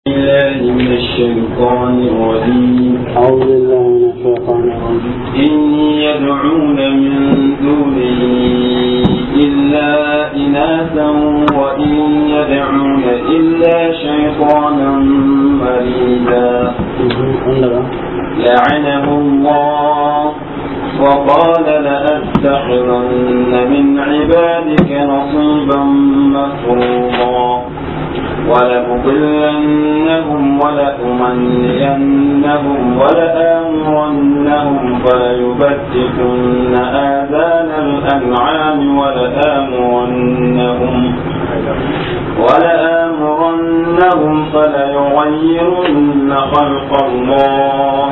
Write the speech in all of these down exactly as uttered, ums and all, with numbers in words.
بالله من الشيطان الرجيم. أعوذ بالله من الشيطان الرجيم. إن يدعون من دونه إلا إناثا وإن يدعون إلا شيطانا مريدا. لعنه الله وقال لأتخذن من عبادك نصيبا مفروضا ولأضلنهم ولأمنينهم ولآمرنهم فليبتكن آذان الأنعام ولآمرنهم ولآمرنهم فليغيرن خلق الله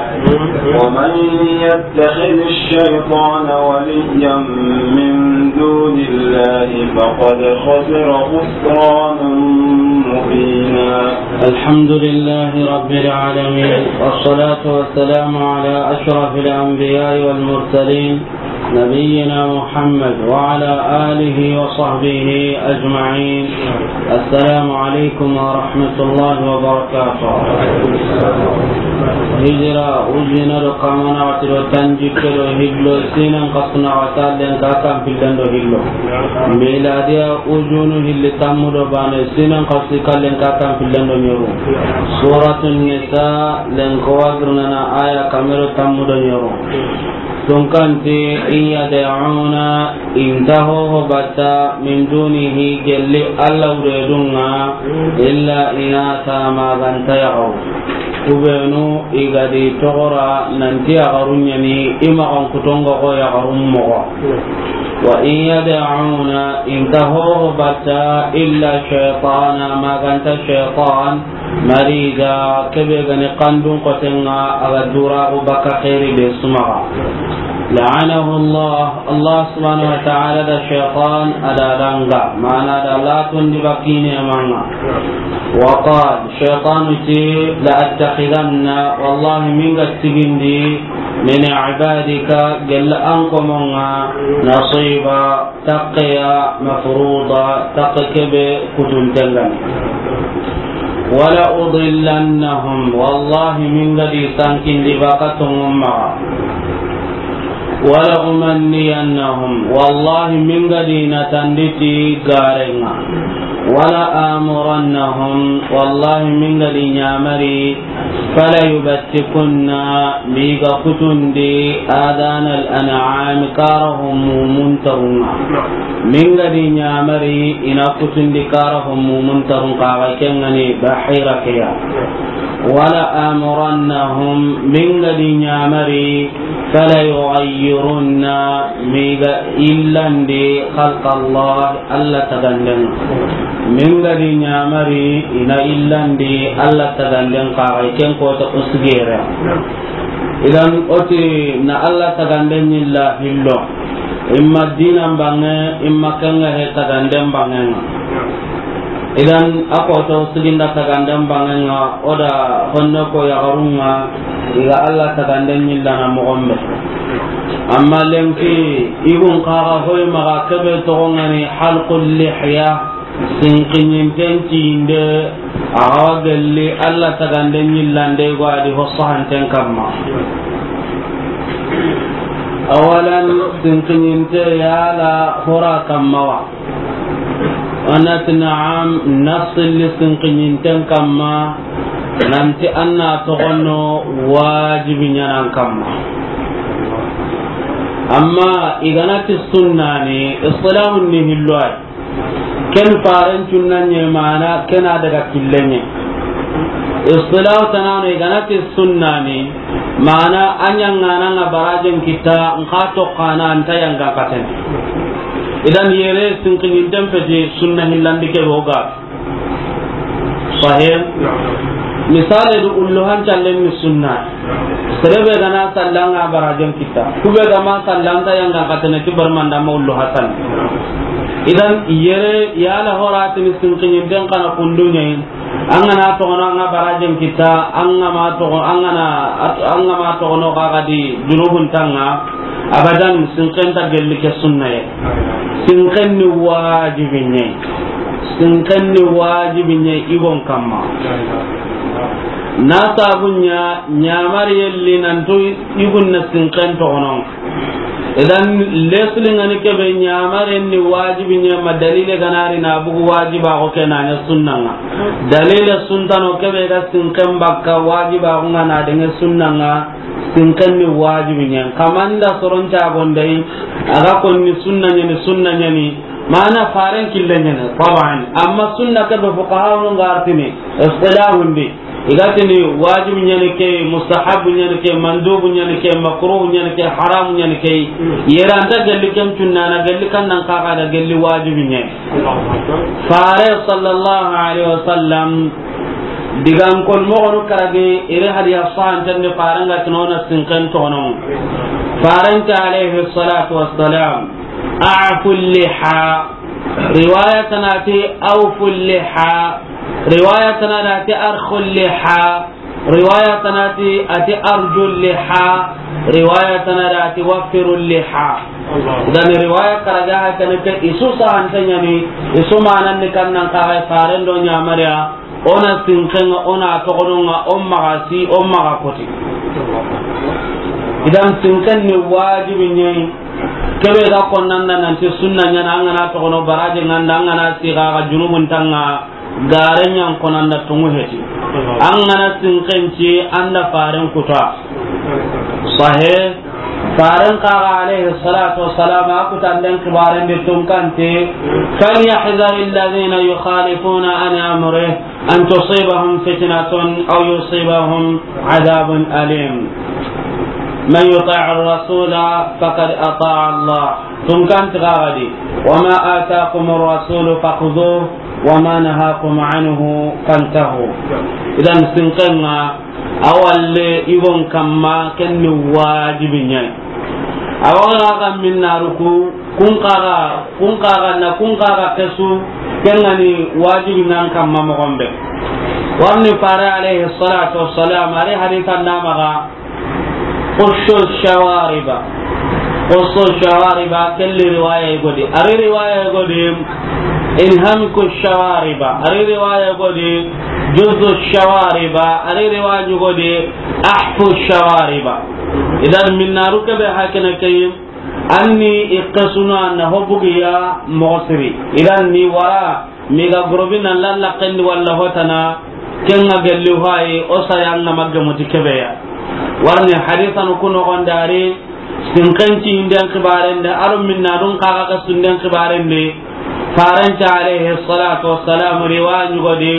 ومن يتخذ الشيطان وليا من دون الله فقد خسر خسرانا مبينا. الحمد لله رب العالمين، والصلاة والسلام على أشرف الأنبياء والمرسلين، نبينا محمد وعلى آله وصحبه أجمعين. السلام عليكم ورحمة الله وبركاته. Hijira ujina do kamana wati do tanjikke do hillo, sinan kasuna wata lenki tan pillen do hillo. Miladiya ujunu hilli tammu do bane, sinan kasu kallen ka tan pillen do ɲoru. Suratun Nisa, lenki wagirnana aya kamero tammu do ɲoru. Tunkanti, in yad'una, inta hoho batta, min dunihi, gelli Alla wuredunŋa, illa inatha, maganta yaxaru. Kubenu i gadi toxora nanti yaxaru ɲani, i maxan kutonga xo yaxaru moxo. Wa in yad'una, inta hoho batta, illa shaytana, maganta shaytan, marida, kebe gani kandun kotenga, aga duraxu baka xeeri be sumaxa. La'anahu Allah, Allah subhanahu wa ta'ala da shaytan ada danga, mana da latondi bakine manga. Wa qal, shaytanu ti, la attakhidanna, wallahi minga tigindi, min ibadika, gella an komonga, nasiba, taqqiya mafruda, taqe kebe kutuntengani. Wala udillannahum, wallahi minga di sankindi baka tongumma. Wala umanniyannahum, wallahi minga di natanditi garenga. Wala amurannahum, wallahi minga di ɲamari. Fala yubattikunna, miga kutundi, adana al-an'am, kara ho mumun tarunga. Minga di ɲamari, ina kutundi kara ho mumun tarun, kaga kengani bahira keya. Wala amurannahum, minga di ɲamari, fala yughayyirunna, miga illandi khalqa Allah, Alla taganden. Minga di ɲamari, ina illandi Alla taganden kaga, ken kota usgere. Idan oti na Alla taganden ɲilla hillo. Imma dinan bange, imma kenga he taganden bangenga. Idan a koto siginda taganden bangenga, oda honne ko yaxarunga, iga Alla taganden ɲillana moxonbe. Amma lenki, igun kaga hoy maga kebe togongani halqul lihya, sinkiɲinten tinde, awa gelli Alla taganden ɲillande go adi ho sahanten kamma. Awalan sinkiɲinte yala hora kamma wa? Anati na'am, nassilli sinkiɲinten kamma, nanti anna togono wajibi ɲanan kamma. Amma iganati sunnani, islamun ni hilloy. Ken faren cunna ɲe mana, kena daga killenye. Istilahu tanano iganati sunnani, mana a ɲangananga barajen kita, nka to kana anta yanga katen. Idan yere sinkiɲinten peti sunna hillandi ke boga. Sahih. Misale du ullu hancallen ni sunna. Serebe gana sallanga barajen kita. Kube gama sallanta yanga katene ki barmanda ma ullu hasan. Idan yere yala horatini sinkiɲinten kana kunduɲe. Angana togono anga barajen kita, angama togo, angana, angama togono kagadi junubun tanga. Abadan, sinken ta gelli ke sunna ye. Sinken ni wajibi ɲe. Sinken ni wajibi ɲe igon kamma. Na sabu ɲa, ɲamari yelli nantu yugun na sinken toxono. Idan, lesli ngani kebe ɲamaren ni wajibi ɲa ma dalile ganari na bugu wajiba ko ke na ɲa sunna nga. Dalile suntano kebe ga sinken bakka wajiba ko nga na denge sunna nga, sinken ni wajibi ɲa. Kamanda soronta gondai, aga konni sunna ɲa ni, sunna ɲa ni, mana faren kille ɲa ni, taban. Amma sunna kebe fuqaha no ngartini, istilahundi. Igatini wajibi ɲani ke, mustahabu ɲani ke, mandubu ɲani ke, makruhu ɲani ke, haramu ɲani ke. Yera anta gelli ken cunnana, gelli kannan kaga da gelli wajibi ɲani. Fare sallallahu alaihi wasallam, digan kol moxonu karage, ire hadiya sahanten de faren ga tinona sinken toxono. Farenta alaihi salatu wassalam, a'fu liha. Riwaya tanati awfu liha. Riwaya tana da ti arkhu liha. Riwaya tana ti ati arju liha. Riwaya tana da ti waffiru liha. Dan riwaya karaga ha kana ke isu sahante ɲani, isu manan ni kannan kaga faren do ɲamariya, ona sinken nga, ona toxono nga, o maxa si, o maxa koti. Idan sinken ni wajibi ɲa yi. Kebe ga konnanda nanti sunna ɲana, an gana toxono baraje nganda, an gana siga ga junubun tanga, gare ɲan konanda tungu heti. An gana sinken ci anda faren kuta. Sahe, faren kaga alaihi salatu wassalam, a kutanden kibaren di tunkante, فليحذر الذين يخالفون عن أمره أن تصيبهم فتنة أو يصيبهم عذاب أليم. من يطع الرسول فقد أطاع الله. Tunkanti kaga di, وما آتاكم الرسول فخذوه وما نهاكم عنه فانتهوا. Idan sinken nga, a walle igon kamma, ken ni wajibi ɲa yi. Awa ga ga minnaru ku, kun kaga, kun kaga na, kun kaga kesu, ken ga ni wajibi nan kamma moxon be. Warni fare alaihi salatu wassalam, ari hadisan da maxa, qussu shawariba. Qussu shawariba, kelli riwaya godi. Ari riwaya godi, inhamiku shawariba. Ari riwaya godi, juzzu shawariba. Ari riwaya godi, ahfu shawariba. Idan minnaru kebe hakene kayim, anni iqesuna na hobugiya moxo siri. Idan ni wara, miga gorobi na lalla kendi walla hotana, kenga gelli hayi, o saya nga magge muti kebeya. Warni hadisanu kuno gondari, sinkenci inden kibarende, aro minna dun kaga ka sunden kibarende, Faranta alayhi salatu wassalam riwaya ɲugodi,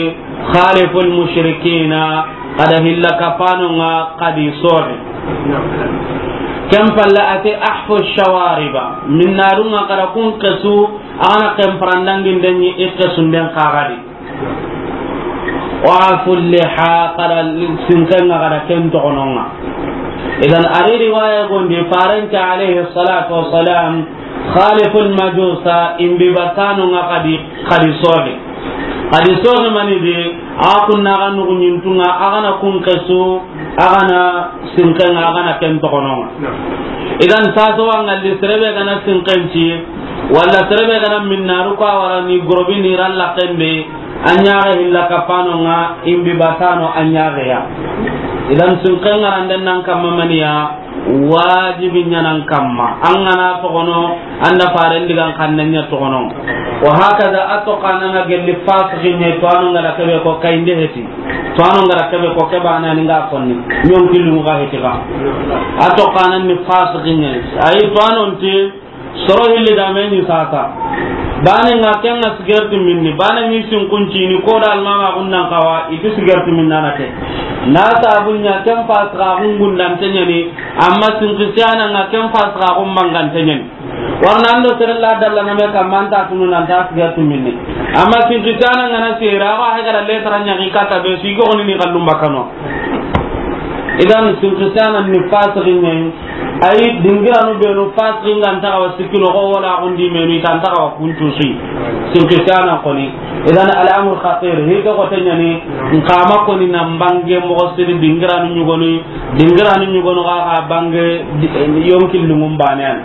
"Khaliful mushrikina," kada hilla kapanonga kadi sohi. Ken palle ati, "Ahfu shawariba," minnarunga kada kun kesu, agana ken parandangindeni ikkesunden kagadi. "Wa'fu liha," kada sinkenga kada ken togononga. Idan ari riwaya gondi, Faranta alayhi salatu wassalam, "Khaliful majusa," imbi batano nga kadi, kadi soge. Kadi soge mani di, a kunna ga nugu nyintunga, agana kun kesu, agana sinkenga, agana ken togononga. Idan saso wangalli serebe gana sinkenci, wala serebe gana minnaru ko awarani gorobi ni ralla kende, a ɲaxe hilla kapanonga, imbi batano a ɲaxeya. Idan sinkenga randen nan kamma maniya, wajibi ɲanan kamma. An gana togono, anda Faren digan kanne ɲa togono. Wa hakaza, a to kananga gelli fasiki ɲe, to anu ngara kebe ko kayinde heti. To anu ngara kebe ko kebana ni nga konni. Ɲon kilu nga heti ga. A to kanan ni fasiki ɲe. Ayi to anonti, soro hilli da meni sasa. Bane nga kenga sigarti minni, bane ni sin kunci ni ko da almama gunnan kawa, itu sigarti minna na ke. Na sabun ɲa ken fasika gungun dan tenyani, amma sin kisiyana nga ken fasika gun mangan tenyani. Warna ando serella dalla na me kamanta tunu nan ta sigarti minni. Amma sin kisiyana nga na sera wa hegara letra ɲa ki kata be si go ni kallum bakano. Idan sin kisiyana ni fasiki ɲe. Ayi, dingiranu benu fasikin ga nta xawa sikki noxo wala xundi menu i ta nta xawa kuntu si. Sinkisana koni. Idan al'amur khatir. Hi ke xote ɲani, nkama koni na mbange moxo siri dingiranu ɲugoni, dingiranu ɲugoni xa, xa bange di-, yonki lungun banean.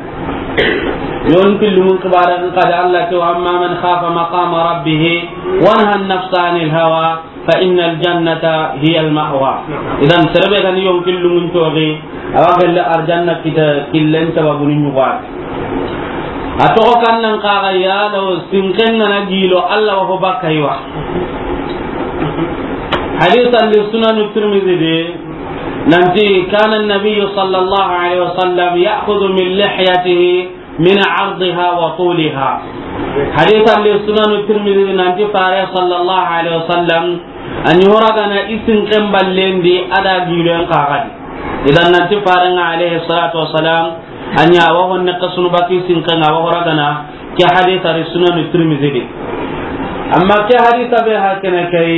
Yonki lungun kibara nka da Allah te, "Wa amma man khafa maqama rabbihi wa naha an-nafsa anil hawa فإن الجنة هي المأوى. Idan, sere be ga ni yonki lunŋun toxi, a wa gelle arjanna kita killen sababunu ɲugo a. A toxo kan nan kaga ya do sinken ŋa na gilo, Alla wa ho bakka yi wa. Hadisa li Sunanu Tirmidhi de, nanti, كان النبي صلى الله عليه وسلم يأخذ من لحيته من عرضها وطولها. Hadisa li Sunanu Tirmidhi nanti, Fare sallallahu alaihi wasallam, a ɲi ho ragana i sinken ballen di a da giloyen kaga di. Idan nanti Fare ŋa alaihi salatu wassalam, a ɲa wa honne kasunu baki sinken ŋa wa ho ragana, ke hadisa ri Sunanu Tirmidhi di. Amma ke hadisa be hakene kai,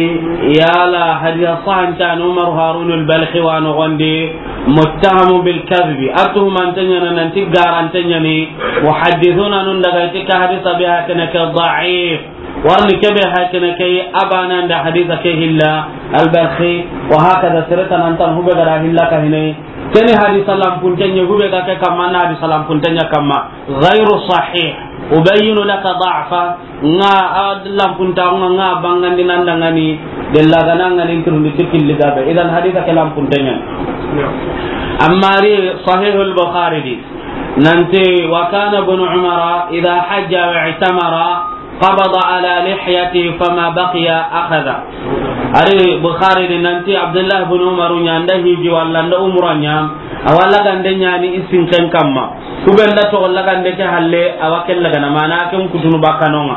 yala hadisa sahantan Umar Harun al-Balkhi wa no gonde, متهم بالكذب, a tuhumanten ɲa na nanti garanten ɲa ni, muhaddisuna nun daga ti ke hadisa be hakene ke da'if, warni ke be hakene ke abana nda hadisa ke hilla, al-Balkhi, wa hakada sirata nan tan hube gara hilla ka hine, keni hadisa lampunten ɲa hube ga ke kamma na hadisa lampunten ɲa kamma, غير صحيح. أبين لك ضعفه. Ŋa a lampunta ŋa, ŋa bangandi nan dangani della gana ŋa nin turundi tikilli gabe. Idan hadisa ke lampunten ɲa. Amma ri Sahih al-Bukhari di, nanti, وكان ابن عمر إذا حج واعتمر قبض على لحيته فما بقي أخذ. A ri Bukhari di nanti Abdullah ibn Umar ɲa nda hiji walla nda umra ɲa, a wa lagande ɲa ni i sinken kamma. Hube nda toxo lagande ke halle, a wa ke lagana mana ken kutunu bakka no ŋa.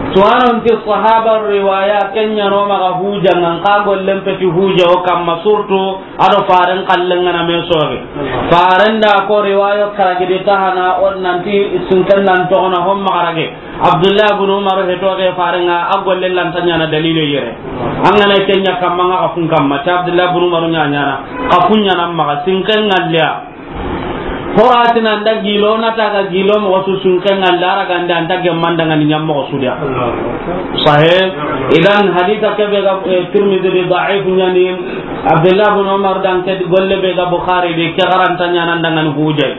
Tuwanon ti sahaba riwaya ken ɲa no maxa huja ŋa, n xa gollen peti huja o kamma, surtout a do Faren kallen ŋa na me soge. Faren da ko riwayo karagidi tahana, o nanti sinken nan toxo na hon maxa rage. Abdullah ibn Umar he toxe Faren ŋa, a golle lanta ɲa na dalile yere. An ga na ken ɲa kamma ŋa xa kun kamma, ta Abdullah ibn Umar ɲa ɲa na xa kun ɲa na maxa sinken ŋa liya. Horatina nda gilo na ta ga gilo mo su sinken ŋa lara gande anta gemman dangani ɲa mo su dia. Sahih. Idan hadisa ke be ga, eh, Tirmidhi di da'if ɲa ni, Abdullah ibn Umar dan ke golle be ga Bukhari di ke garanta ɲa nan dangani hujai.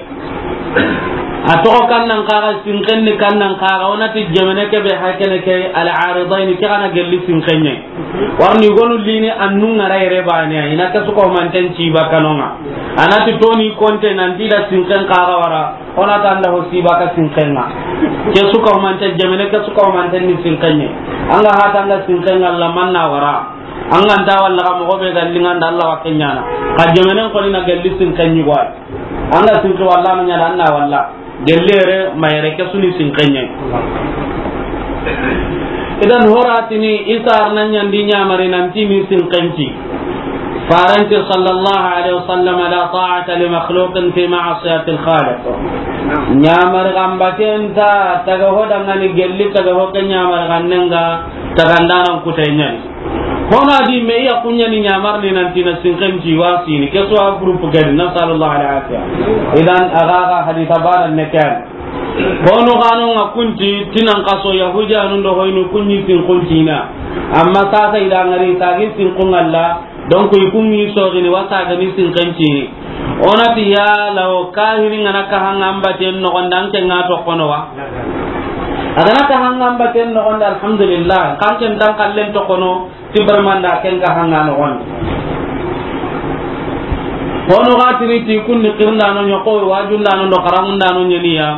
A toxo kan nan kaga, sinken ni kan nan kaga, o na ti jemene ke be hakene ke al-aridaini, ke gana gelli sinken ɲa. Warni gonu lini annu ŋa ra yere bane, i na ke su ko manten ci bakka no ŋa. A na ti toni konte nan ti da sinken kaga wara, o na ta nda ho si bakka sinken ŋa. Ke su ko manten jemene, ke su ko manten ni sinken ɲa. An ga hata nga sinken ŋa la manna wara. An ga nta walla ga moxo be ga linganda Alla wa ke ɲa na. Ka jemenen koni na gelli sinken ɲi gwa. An ga sinki walla ma ɲa na, an na walla. Gelli yere ma yere ke su ni sinken ɲa. Idan horatini i sar na ɲandi ɲamari nanti ni sinken ci. Faranti sallallahu alaihi wasallam, لا طاعة لمخلوق في معصية الخالق. Ɲamari gambaten ta taga ho dangani gelli taga ho ke ɲamari gannen ŋa tagandanan kutay ɲa ni. Hono a di me iya kunya ni ɲamar ni nanti na sinken ci wa sini. Ke su a groupe gadi, nasallallahu alaihi wasallam. Idan a ga ga hadisa bana ne kan. Hono gano nga kunti tinan kaso Yahudiyanun do hoynu kunyi sin kuntina. Amma sasa ida ngari sagi sin kun Allah. Donc i kunyi so gini wasa gani sinken ci. O na ti yala o kahini nga na kahanga mbaten noxon di, an ke nga toxono wa? A ga na kahanga mbaten noxon di, alhamdulillah, kan ken tan kallen toxono, ti barmanda ken kahanga noxon di. Hono ga tini ti kunni xirindano ɲa xo, wajundano do xaramundano ɲa ni ya.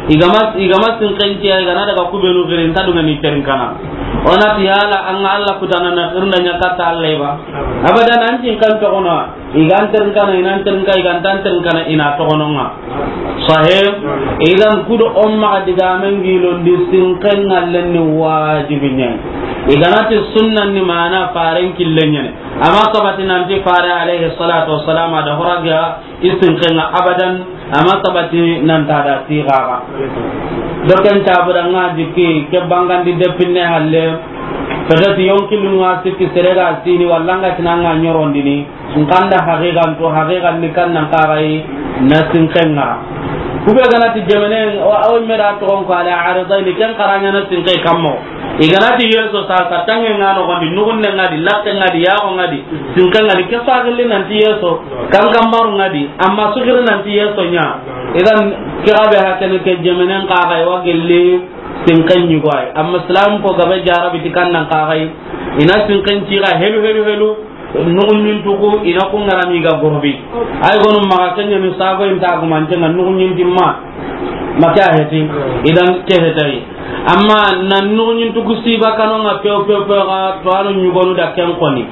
I ga ma, i ga ma sinken ci ya, i ga na daga kubenu xirin ta dunga ni kerin kana. O na ti yala an ga Alla kutana na xirinda ɲa katta Alla ba? Abadan, an cin kan toxono. I ga n terinkana, i na n terinka, i ga nta n terinkana, i na toxono nga. Sahih. Idan kudo o maxa digamen gilondi sinken ŋallen ni wajibi ɲa ni. I ga na ti sunnan ni mana faren killen ɲa ni. Amma sabati nanti fare alayhi salatu wassalam a da horaga i sinken ŋa abadan. Amma sabati nan ta da sigaga. Doken tabu da nga jikki ke bangandi depinne halle. Peut-être yonki lunga sikki sere ga sini walla nga tinanga ɲorondini. Nkanda haqiqan to, haqiqan ni kan nan kagai na sinken ŋa. Kube ga na ti jemene, o, o me da toxon ko ala aridaini, ken xaranya na sinke kammo. I ga na ti yeso sa, sa tange nga noxon di, nugunne nga di, latte nga di, yaxo nga di, sinke nga di, ke sa gilli nanti yeso, kan kambaru nga di, amma sugiri nanti yeso ɲa. Idan, ke gabe hakene ke jemenen kagai wa gilli, sinken ɲi goy. Amma islam ko gabe jarabi ti kan nan kagai. I na sinken ci ga helu, helu, helu. Nuxuɲintu ku, i na ku ŋarami ga gorobi. Ay gonu maxa ken ɲa ni sago inta gumante ŋa nuxuɲinti ma. Ma ke a heti. Idan ke hetay. Amma na nuxuɲintu ku siba kano ŋa pew, pew, pew ga to anu ɲugonu da ken koni.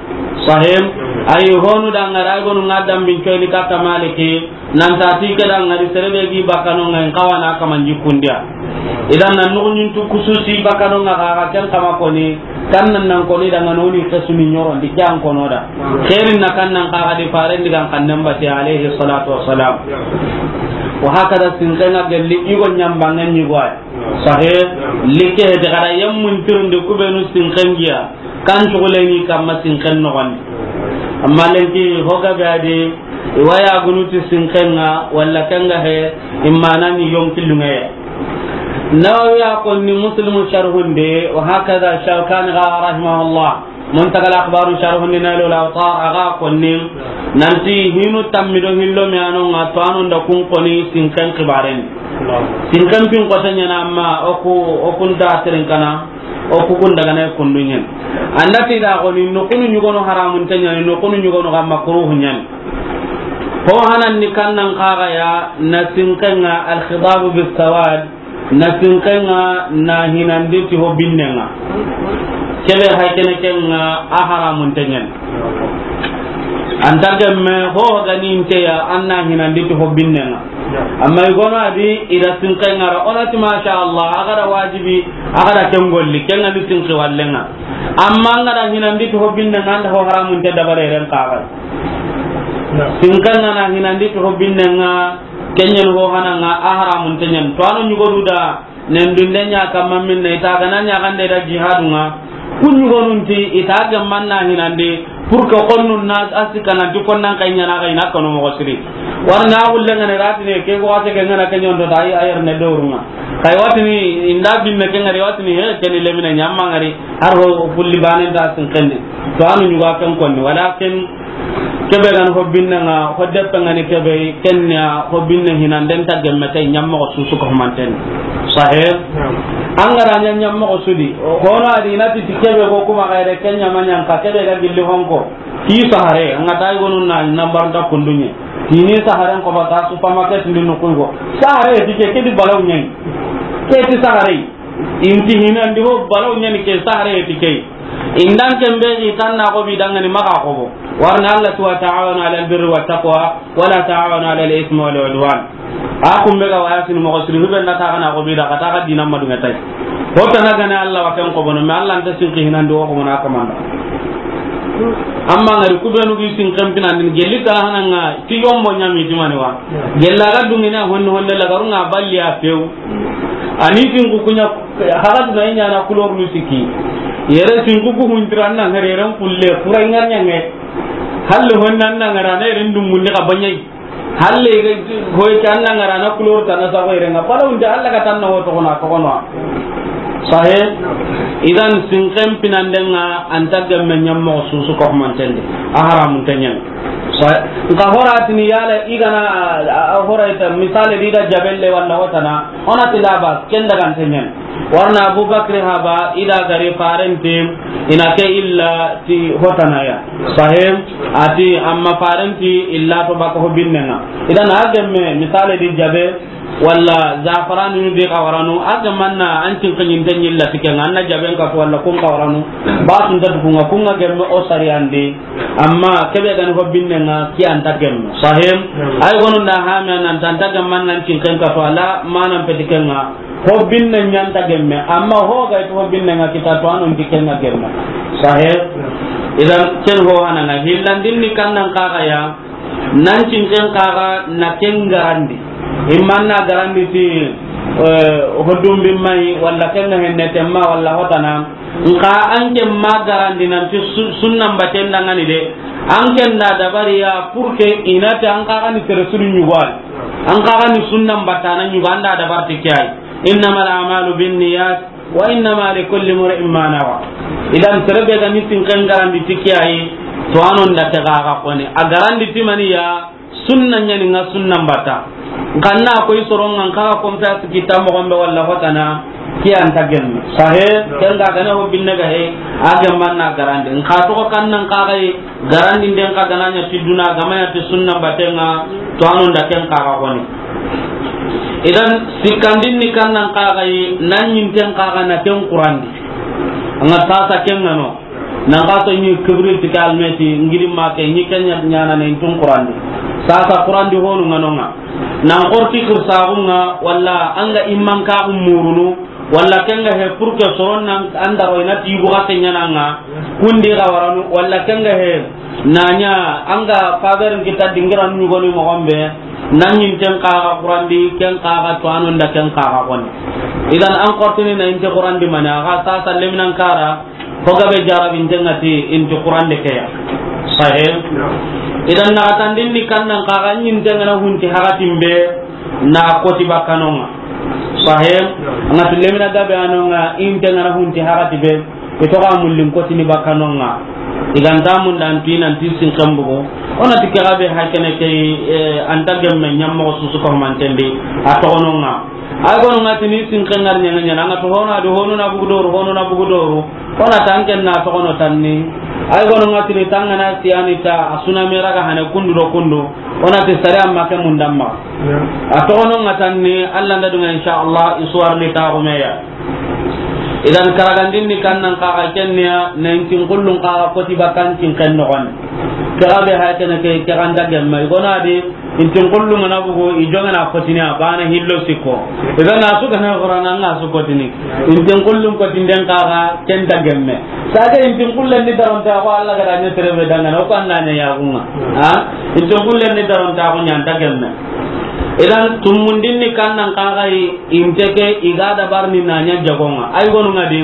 Sahem. Ay honu da ŋara ay gonu ŋa dambin coyni katta Maliki. Nan ta ti ke da ŋari sere be gi bakano ŋa in kawana kaman jikundiya. Idan na nuxuɲintu kususi bakano ŋa ga ken kama koni, kan nan nan koni da ŋa noni kesuni ɲorondi ke an kono da. Xeerin na kan nan kaga di faren digan kan nan bati alayhi salatu wassalam. Wa hakada sinken ŋa gelli i go ɲambangen ɲi go ay. Sahe, like heti kada yammun tirundi kubenu sinken giya. Kan cuguleni kamma sinken noxondi. Amma lenki hoga be adi, i wa ya gunuti sinken ŋa, walla ken ga he, i mana ni yonki lunŋeye. Nawawi a konni Muslimu sharhunde, wa hakada Shawkani ga rahimahullah. Muntagal Akhbaru sharhunde Nailul Awtar a ga konni, nanti hinu tammi do hillo mi ano ŋa to anu nda kun koni sinken kibaren. Sinken pin kota ɲana amma oku, okun ta tirin kana. O kukun daga na kundunyen. Anda ti da goni nokunu ɲugono haramun tanyani, nokunu ɲugono ga makruhu nyani. Ho hanan ni kannan kaga ya na sinken ŋa al-khidabu bis-sawad, na sinken ŋa na hinandi ti ho binnen ŋa. Kebe haykene ken ŋa a haramun tanyani. Anta gemme ho gani inte ya an na hinandi ti ho binnen ŋa. Amma i gono adi i da sinken ŋa ra, o na ti masha Allah, a ga da wajibi, a ga da ken golli, ken ŋa ni sinki wallen ŋa. Amma an ga da hinandi ti ho binnen ŋa, an da ho haramun te dabare ren kaga. Sinken ŋa na hinandi ti ho binnen ŋa, ken ɲen ho hanan ŋa, a haramun te ɲen. To anu ɲugodu da, nen dunde ɲa kamma minne, i ta ga na ɲa gande da jihadu ŋa. Ku ɲugonun ti i ta gemman na hinandi, pour que konnun na a sikana di konnan kay ɲana kay na kanu moxo siri. Warna a gulle ŋa ne ratine ke ko ate ke ŋa na ke ɲondo da ay ayer ne dorunga. Kay watini inda binne ke ŋari watini he ke ni lemine ɲamma ŋari har ho kulli banen da sinken ni. To anu ɲuga ken konni walakin kebe gan ho binnen ŋa, ho deppe ŋa ni kebe, ken ya ho binne hinanden ta gemme tay ɲammoxo susu ko humanten. Sahe? Naam. An ga ra ɲa ɲammoxo sudi, hono adi na ti kebe ko kuma gaire ken ɲa ma ɲan ka kebe ga gilli honko. Ki sahare, an ga tay gonu na nambar da kundunye. Kini saharen ko ba ta supermarket ni no kungo. Sahare ti ke, ke di balaw ɲai. Ke ti sahare. Inti hinandi ho balaw ɲani ke sahare ti ke. Indan ken be i tan na ko bi dangani maxa ko bo. Warna Allah tu wa ta'awanu alal birri wa taqwa, wa la ta'awanu alal ismi wal udwan. A kumbe ga waya sini moxo siri hube na ta kana ko bi da ka ta ka dinan madunga tay. Ho ta na gane Allah wa ken ko bono, me Allah nta sinki hinandi wo ko mona kamanda. Amma ngari kubenu gi sinken pinandin gelli ta hananga ti yombo ɲami ti mani wa. Gella ga dungina honne honne la garunga balli a pew. Ani sinku kunya haga duna inya na kulor nu siki. Yere sinku ku huntira na ngare ran kulle kura ngar nyange. Halle honna na ngara na yere ndumundi ka banyai. Halle ga hoy kan na ngara na kulor ta na sa hoy renga. Pala unde Allah ka tan na woto kona ko kono. Sahe. Idan sinken pinanden ŋa anta gemme ɲammoxo susu ko humantende. A haramun tenyen. Sahe. Nka horatini yala igana, a, a, a horayta misale di da jabelle walla hotana. Ona ti laba, ken daga ntenyen. Warna Abu Bakri haba, ida gari farenti, ina ke illa ti hotanaya. Sahem, ati amma farenti illa to baka ho binnenga. Idan a gemme, misale di jabe, walla zafaranu di kawaranu, a gemmanna an tin kanyin tenyi illa ti kenga, anna jaben ka walla kun kawaranu, ba sun ta dukunga, kunga gemme o sariyandi. Amma kebe gani ho binnenga ki anta gemme. Sahem, ay gonu nda hame nan tanta gemman nan tin kenka to ala manan peti kenga. Ho binne ɲanta gemme, amma ho ga to ho binnenga kita to anon ti kenga gemme. Sahem, idan ken ho hananga hillandin ni kannan kaga ya, nan tin ken kaga na ken garandi. Immanna garandi ti, eh, hodum bimmai, walla kenga henne temma, walla hotana. Nka an ke ma garandi nanti su-, sunnan baten dangani de. An ke nda dabari ya pour que inati an kaga ni tere suru ɲugo ay. An kaga ni sunnan batana ɲugo an da dabar ti ke ay. Innamal a'malu binniyat wa innama likulli imri'in ma nawa. Idan tere be ga ni sinken garandi ti ke ay to anon da te ga ga koni. A garandi ti mani ya Sunna ɲani nga sunnan batta. Nkanna koy soronga nkaga konpe a sikita mogonbe walla hotana. Ke an ta gemme. Sahe, ken ga gana ho binne ga he, a gemman na garandi. N xa toxo kan nan xa ga yi, garandi nden xa gana ɲa ti duna, ga ma ɲa ti sunna batenga, to anu nda ken xa ga xoni. Idan, sikkandin ni kan nan xa ga yi, nan ɲinten xa ga na ken xurandi. An ga sasa ken ga no. Nan xa so ɲi kibri ti ka almeti, ngiri ma ke, ɲi ken ɲa, ɲana ne intun xurandi. Sasa xurandi honu nga no nga. Nan xorti kirsaxu nga, walla an ga imman ka murunu, walla ken ga he pour que soron nan an daro i na ti yugu xa ke ɲana nga, kundi ga waranu, walla ken ga he na ɲa an ga faveur n kita dingira nu ɲugoni moxo be, nan ɲinten xa ga xurandi, ken xa ga to anu nda ken xa ga xoni. Idan an xortini na inte xurandi mani, a xa sasa leminan kara, ho gabe jarabinten ga ti inti xurande ke ya. Sahe. Idan na atandin ni kan nan xa ga ɲinten ga na hunti hakatin be, na koti bakkanonga. Sahe. An ga ti lemina gabe anonga, inte ga na hunti hakati be, i to ga mullin kotini bakkanonga. I ga nta mun dan ti nan ti sinken bugu. O na ti ke gabe hakene ke, eh, an ta gemme ɲammoxo susu ko mantendi, a toxononga. Ay gonu nga tini sinken ngar ɲanga ɲana, an ga to honu a do, honu na bugu doru, honu na bugu doru. O na tanken na toxono tanni. Ay gonu nga tini tangana siyani ta, a suna mera ga hane kundu do kundu. O na ti sare amma ke mundamma. Ya. A toxono nga tanni, Allah nda dunga insha Allah, isuwar ni ta gumeya. Idan karagandin ni kan nan xa ga kenniya, na intin kullun xa ga koti bakan tin ken no gon. Ke gabe ha kene ke, ke ganda gemma. I gona di, intin kullun ga na bugu, i jonga na kotini a bana hillo sikko. Idan na su ga na Qur'ana nga su kotini. Intin kullun kotinden xa ga ken ta gemme. Saga intin kullen ni daronta ko Allah ga da ɲa terebe dangana, o ko an na ɲa yagunga. Ha? Intin kullen ni daronta ko ɲa an ta gemme. Idan tumundin ni kan nan xa ga yi, inte ke i ga dabarni na ɲa jagonga. Ay gonu nga di,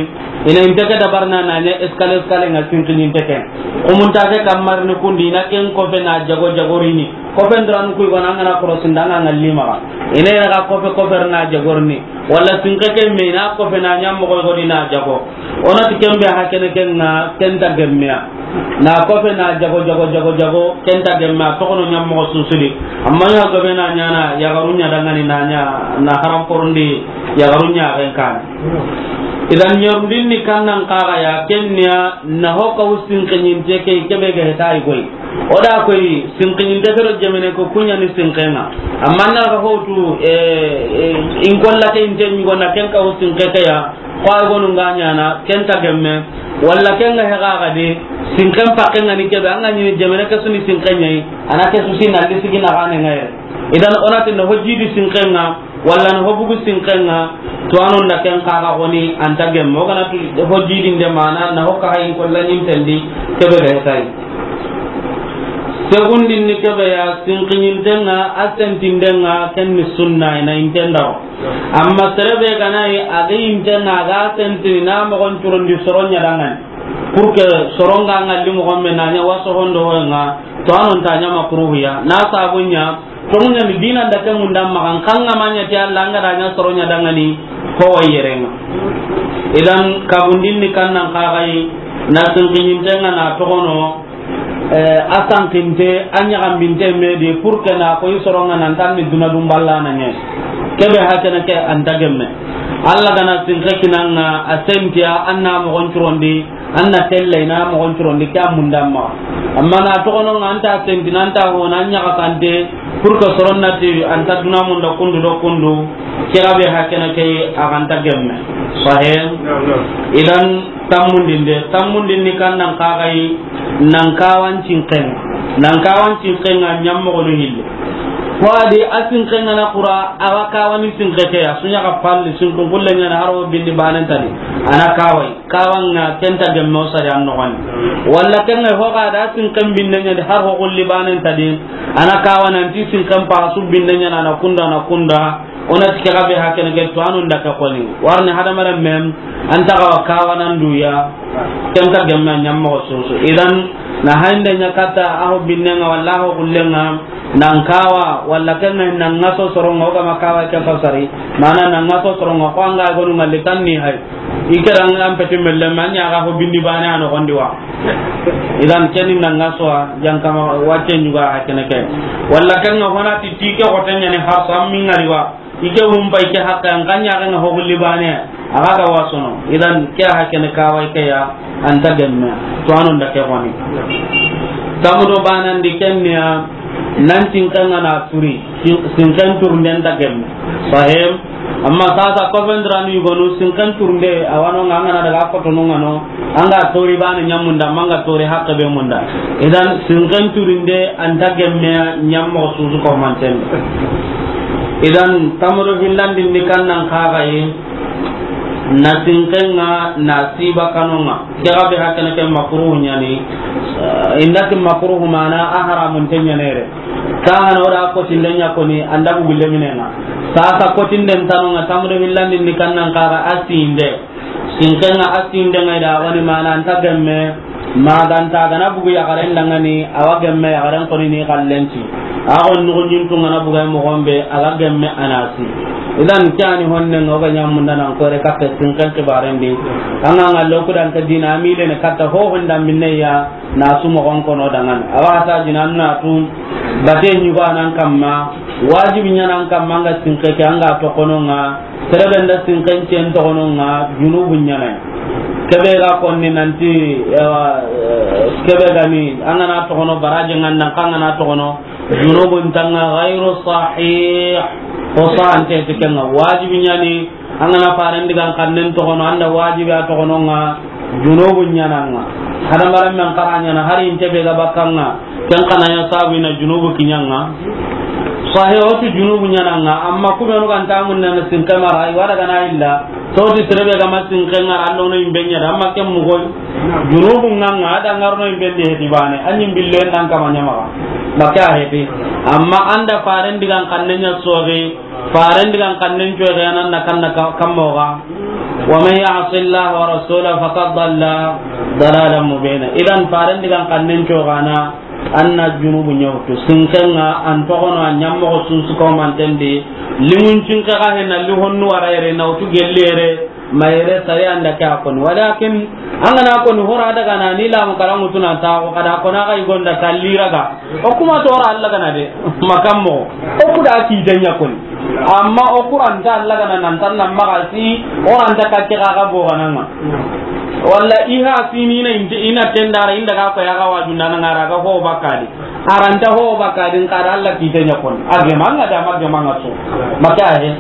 i na inte ke dabarna na ɲa escalier escalier nga sinkin inte ke. Kumunta ke kamar ni kundi, i na ken kofe na jago jagorini. Kofe ndoran kuy gona ngana korosinda nga ngalli maxa. I na i na ga kofe kofe na jagorni. Walla sinke ke me i na kofe na ɲammoxo godi na jago. O na ti kembe ha kene ke nga ken ta gemmeya. Na kofe na jago, jago, jago, jago, ken ta gemme a toxono ɲammoxo susudi. Amma ɲa gobe na ɲana, yaxaru ɲa dangani na ɲa, na haram porondi, yaxaru ɲa ken kan. Idan ɲorundin ni kan nan xa ga ya, kenniya, na ho ka wusin kenyinte ke, kebe ga heta i koy. O da koy, sinkiɲinte ke do jemene ko kuɲa ni sinkenga. Amma na ga hotu, eh, eh, in kolla ke inte ɲugo na ken ka wusin ke ke ya, Ko ay gonu nga ɲana, ken ta gemme, walla ken ga hega ga de, sinken pakke nga ni kebe, an ga ɲini jemene ke su ni sinken ɲa yi, a na ke su si na lisi gi na gane nga yere. Idan o na ti na ho jidi sinken nga, walla na ho bugu sinken nga, to anu nda ken xa ga xoni an ta gemme, o ga na tu ho jidi nde mana, na ho ka hayin kolla ɲintendi, kebe ga heta yi. Segundin ni kebe ya, sinkiɲinten nga, a sentinden nga, ken ni sunna, i na inten daro. Amma sere be ga na yi, a ga inte na, a ga sentini na moxon curondi soro ɲa dangani. Pour que soro nga ngalli moxon be na ɲa waso hondo ho nga, to anu nta ɲa makruhiya. Na sabu ɲa, to ŋuɲa ni dina nda ke munda maxa, n xa nga ma ɲa ti Allah, an ga da ɲa soro ɲa dangani, ho wa yere nga. Idan, kabundin ni kan nan xa ga yi, na sinkiɲinten nga na toxono, Eh, a sankinte, a ɲaxambinte me di, pour que na koy soronga nan tan ni duna dum balla na ɲe. Kebe ha kene ke an ta gemme. Allah ga na sinke kinanga, a sentiya, an na moxon curondi, an na telle, i na moxon curondi, ke a mundamma. Amma na toxono nga an ta senti, nan ta ho, na ɲaxa kante, pour que soron na ti, an ta duna munda kundu do kundu, ke gabe ha kene ke, a ga nta gemme. Sahe? Naam, naam. Idan, Tammundinde, tammundin ni kan nan xa ga yi, nan kawan cinken, nan kawan cinken nga ɲammoxonu hille. Ko a di a sinken nga na xura, a wa kawani sinke ke ya, su ɲa ga palli, sinkun kulle ɲa na haro bindi banen tadi, a na kawai, kawan nga ken ta gemme o sari an noxoni. Walla ken nga ho ga da sinken binne ɲa di har ho kulli banen tadi, a na kawan anti sinken pa su binne ɲa na, na kunda, na kunda, O na ti ke gabe ha kene ke to anu nda ke xoni. Warni hadamaren men, an ta ga wa kawanan duya, ken ta gemme ɲammoxo soso. Idan, na haynde ɲa katta, a ho binne nga, walla a ho kulle nga, nan kawa, walla ken nga nan ŋaso soronga, o ga ma kawa ke fasari, mana nan ŋaso soronga, ko an ga gonu ngalli tan ni hay. I ke ran an peti melle, ma ɲa ga ho bindi bane a noxondi wa. Idan keni nan ŋaso a, jankama wacce ɲuga ha kene ke. Walla ken nga hona ti ti ke xote ɲa ni harsa mi ngari wa. I ke wumpa i ke hakke an kan ɲa ga nga ho gulli bane. A ga ga wasono. Idan ke a hakene kawai ke ya, an ta gemme. To anon da ke woni. Tamudo banan di kenya, nan tinkan ngana turi, sin-, sinkan turnden ta gemme. Sahim. Amma sasa ko ben dranu yugonu sinkan turnde, awano ngana daga ko to no ngano, anga tori bana nyamunda, manga tori hakke be munda. Idan sinkan turnde an ta gemme nyammo susu ko manten. Idan tamro hillandi ni kannan kaga yi, na sinkenga na siba kanonga. Ke ga be hakana ke makruhu nyani. Eh, inda ke makruhu mana a haramun te nyanere. Ka hana wada ko tinde nya ko ni anda bu gulle minenga. Sasa ko tinde tanonga tamro hillandi ni kannan kaga asinde. Sinkenga asinde ngai da wani mana anta gemme. Maganta gana bugu yaxaren dangani, awa gemme yaxaren koni ni xallenci. A xon nuxu ñintu ngana buga moxon be, a ga gemme anasi. Idan ke ani honne nga o ga ñamunda nan kore kappe sinken xibaren di. Anga nga loku dan ke dina amile ne katta ho honda minne ya na su moxon kono dangan. Awa ta jinan na tu bate ñugo anan kamma, wajibi ñanan kamma nga sinke ke anga toxononga. Serebe nda sinken cen toxononga junubu ñanay. Kebe ga konni nanti, ewa, eh, kebe gani, angana toxono baraje ngandan kangana toxono, junubun tanga ghairu sahih. Ko sahante tikenga wajibi ñani, angana faren digan kannen toxono, anda wajibi a toxononga, junubu ñananga. Hadamaren men xara ñana, hari inte be ga bakkanga, ken xana ya sabu ina junubu kiñanga. Sahe o tu junubu ñananga, amma kubenu ganta mun na sinke mara, i wada gana illa, to ti serebe ga ma sinke ngara, allo no imbe ñada, amma ken mugoy. Junubu nganga, ada ngarno imbe de hedi bane, anyi billo en dan kama ñama. Maka hedi. Amma anda faren digan kanne ña soge, faren digan kannen coy ga nan na kanna ka-, kammo ga. Wa man ya'si Allah wa rasulahu faqad dalla dalalan mubina. Idan faren digan kannen coy ga na, anna junubu ñawtu. Sinkenga an toxono a ñammoxo sunsuko mantendi. Limun cinke ga hena li honnu wara yere na wutu gelli yere. Mayere sari anda ke a koni. Walakin, angana koni hora daga na ni lamu karangu tuna ta ko kada kona ga igonda kalliraga. O kuma to ora Allah gana de, makammo. O kuda ki tanya koni. Amma o Qur'an ta Allah gana nan tan nan magasi, oran ta ka ke ga bo gananga. Walla iha sinina inte ina tendara inda ga ko ya ga wajunda na ngara ga ho bakadi. Aranta ho bakadin kada Allah ki tanya koni. Age manga da mage manga so. Maka he.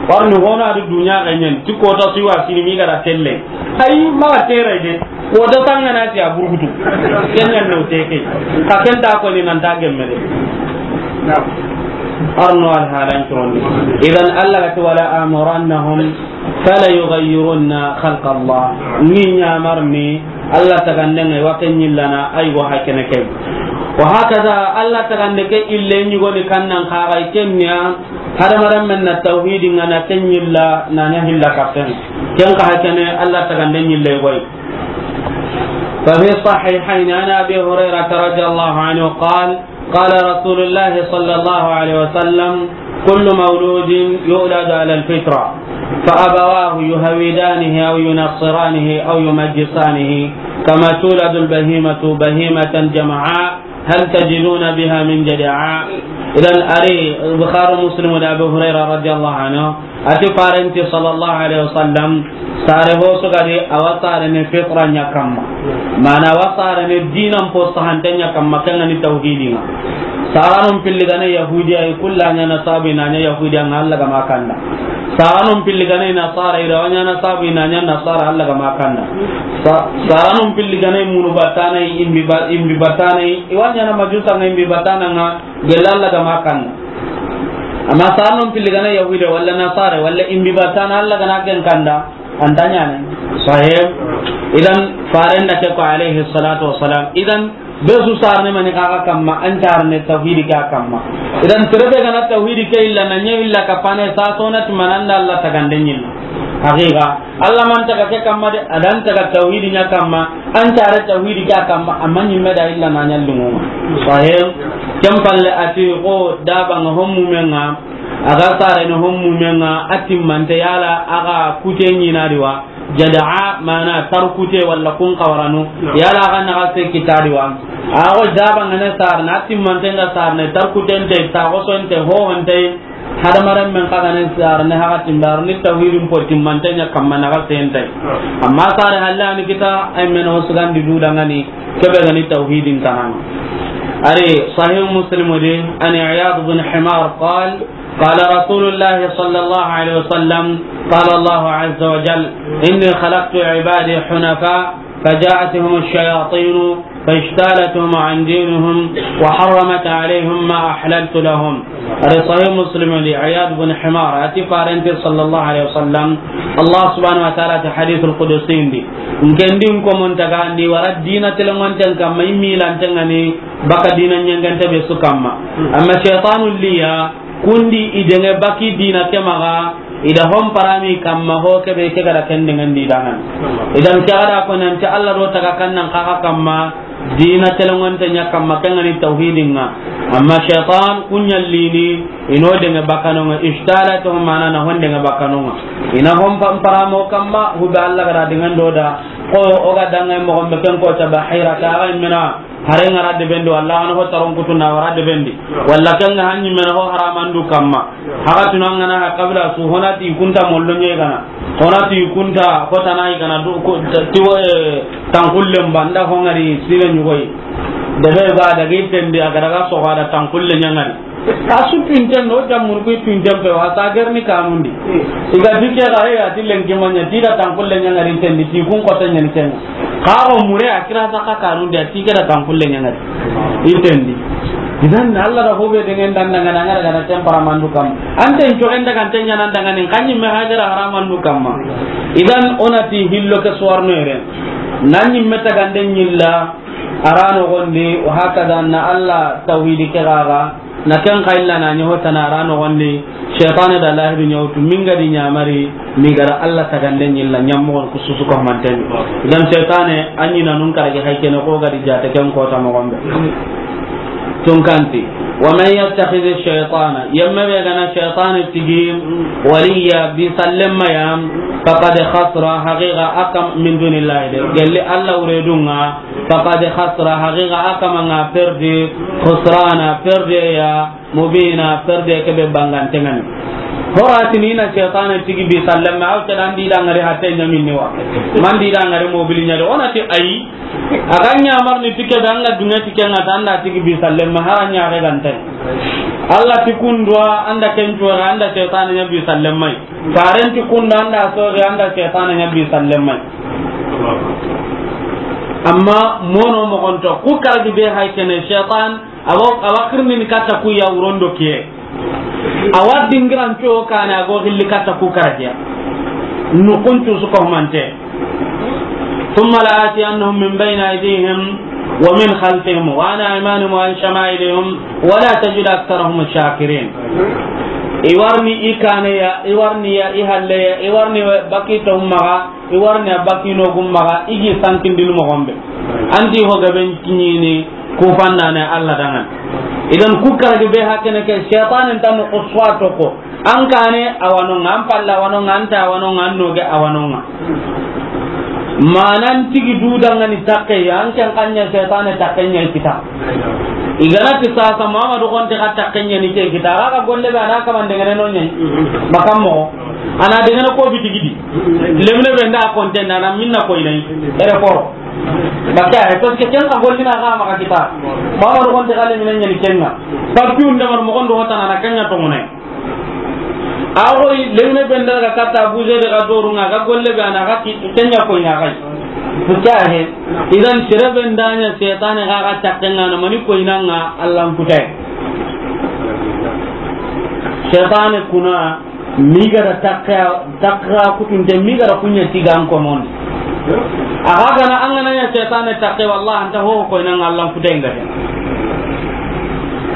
Warni hona du dunya ganyen. Ti ko ta siwa sini mi gara telle. Ayi ma tere de. Ko da tangana ti a burgutu. Kenyan no teke. Ka ken ta ko ni nan ta gemme de. Arno al halan tron. Idan Allah ga ti wala amurannahum fala yughayyirunna khalqa Allah. Ni ñamarni Allah tagandenga wa ken ñillana ay go hakene ke. Wa hakaza Allah tagande ke ille ñugoni kannan kaga kenya. Hadamaren men na tawhidi ngana ken ñilla na ña hilla kapen. Ken ka hakene Allah tagande ñille goy. ففي الصحيحين عن أبي هريرة رضي الله عنه قال: قال رسول الله صلى الله عليه وسلم: كل مولود يولد على الفطرة، فأبواه يهودانه أو ينصرانه أو يمجسانه، كما تولد البهيمة بهيمة جمعاء، هل تجدون بها من جدعاء؟ Idan ari Bukhari, Muslim da Abu Hurairah radiyallahu anhu, ati farenti sallallahu alaihi wasallam, sare ho sugadi awa sare ne fitra nya kamma. Mana awa sare ne dinan po sahante nya kamma, kanga ni tawhidi nga. Saranun pilli gane Yahudi ay kulla nya na sabu ina nya Yahudi nga Allah ga makanda. Saranun pilli gane Nasara ira wa nya na sabu ina nya Nasara Allah ga makanda. Sa-, saranun pilli gane munu batana imbi ba-, imbi batana i wa nya na majusa nga imbi batana nga gella Allah ga makanda. Amma saranun pilli gane Yahudi wala Nasara wala imbi batana Allah ga na ken kanda. Antanya ne. Sahib. Idan faren da ke ko alaihi salatu wassalam. Idan be su sarne mani kaga kamma, an carne tawhidi ka kamma. Idan terebe gana tawhidi ke illa na nya illa kapane sa sonat mananda Allah tagande ñilla. Haqiqa. Allah man taga ke kamma de, adan taga tawhidi nya kamma, an care tawhidi ka kamma, amma ñimme da illa na nya lungu. Sahib. Kem palle ati ko daba nga hommu menga, aga sare no hommu menga, atimmante yala aga kute ñina diwa. Jada'a mana tarkute wala kun kawaranu. Yala aga naga se kitadi wa. Ago daba ngane sarna, atimmante nga sarne, tarkutente, tagosonte, hohonte. Hadamaren men xa ga na sare ne haxa timbe, a ro ni tawhidin po timmante ɲa kamma na ga sentay. Amma sare halle a ni kita, ay men o sugandi du dangani, ke be ga ni tawhidin tananga. A ri Sahih Muslim di, an Iyad bin Himar qal, قال رسول الله صلى الله عليه وسلم، قال الله عز وجل: إني خلقت عبادي حنفاء فجاءتهم الشياطين فاجتالتهم عن دينهم وحرمت عليهم ما أحللت لهم. A ri Sahih Muslim di, Iyad bin Himar a ti, farente sallallahu alaihi wasallam, Allah subhanahu wa ta'ala ti hadithul qudsi ndi, n ke ndi n ko mon taga ndi wara dina telengonten kamma, i milanten ŋa ni baka dina ɲengente be su kamma. Amma shaytanu liya, kundi i denge baki dina ke maxa, i da hon parami kamma ho ke be ke ga da ken dengendi dangan. Idan ke ga da ko nanti Allah do taga kannan kaxa kamma, dina telengonte ɲa kamma, ken ŋa ni tawhidin ŋa. Amma shaytan kuɲallini, i no denge bakano ŋa, ishtalatuhum, mana na hon denge bakano ŋa. I na hon pa-, paramo kamma, hube Allah ga da dengendo da, ko o ga danga mo gombe ken ko ta bahira ka ga mena, hare ŋa ra debendi, walla a ga na ho taron kutu na wara debendi, walla ken ŋa hanni mena ho haramandu kamma. Haga tuna ŋa na ha kabila su, hona ti kunta mollo ɲe gana, hona ti kunta hota na i gana du ko ti wo, eh, tankullen banda ho ŋari sire ɲugoyi. Debe ba daga itendi a ga daga so ga da tankulle ɲa ŋari. A su tuinten do, jammunu ku tuinten pe, wa sa gerni kanundi. I ga dike ga, e, a ti lenki maɲa, ti da tankulle ɲa ŋari tendi, ti kun kota ɲa ni ken. Ka o mure a kira sa ka kanundi, a ti ke da tankulle ɲa ŋari. I tendi. Idan Allah da hobe dengen dan dangana ŋara gana tempara mandu kam. Anten cogen daga anten ɲa nan dangani, kanyi me hajara haramandu kamma. Idan ona ti hillo ke suwarno yere. Nanyi me tagande ɲilla, a ra nogondi, wa hakada na Allah tawhidi ke gaga. Na ken xa illa na ɲa hotana a ra nogondi, shaytane da lahidu ɲa wutu, min ga di ɲamari, mi ga ra Allah tagande ɲilla, ɲammogon ku susu ko manteni. Idan shaytane, a ɲi na nun karagi haykene ko ga di jate ken kota mogonbe. Tunkanti, wa man yattakhidhi shaytana, yemme be gana shaytane tigi, waliya, bi sallemma ya, faqad khasra, haqiqa a kam min dunillahi de. Gelli Allah wuredunga, faqad khasra, haqiqa a kama nga perdi, khusrana, perde ya, mubina, perde ke be bangante ngani. Horatini na shaytane tigi bi sallama, aw ke dan di dangari hatte ɲaminni wa. Man di dangari mobili ɲa de, ona ti ayi. A ga ɲa marni tike be anga dunge tike nga ta anda tigi bi sallama, hara ɲa re gante. Allah ti kundwa anda kenjora anda shaytane ɲa bi sallamai. Faren ti kunda anda sori anda shaytane ɲa bi sallamai. Amma mono mogonto, ku karagi be hay kene shaytan, awa, awa kirnini katta ku ya wurondo kiye. Awa dingiran co kane ago hilli katta ku karagiya. Nukuncu su ko mante. ثم لآتينهم من بين أيديهم ومن خلفهم وعن أيمانهم وعن شمائلهم ولا تجد أكثرهم شاكرين. Iwarni ikane ya, iwarni ya ihalle ya, iwarni bakita ummaga, i warni a bakino gummaga, i gi sankindini mogonbe. Anti ho gaben kiɲini, ku fannane Allah dangan. Idan ku karagi be hakene ke, shaytanin tanu kuswa toko. An kane awanonga, an palla awanonga, anta awanonga, an noge awanonga. Manan tigi du dangani takke ya, an ken kanya shaytane takke ɲa kita. Igana ti sasa Muhammadu konte ka takke ɲa ni ke kita. Aga golle be ana kamande ngene no ɲa. Makammo. Ana degene ko bitigidi. Lemine be nda konte nda na minna ko inai. Ere foro. Baka he, parce que ken ka gollina ga maka kita. Baba do konte kale minen ɲani kenga. Papiu ndamar mo kondo hotana na kenga to mone. Ago lemine be nda ga kata buje de ga doru nga ga golle be ana ga ki kenya ko ina ga. Baka he. Idan sere be ndanya shaytane ga ga takenga na mani ko inanga Allah kutai. Shaytane kuna mi ga da takka, takka kutunte mi ga da kunya tiga an komon. Aga gana an gana ya shaytane takke, wallahi anta ho ko ina Allah kutenga.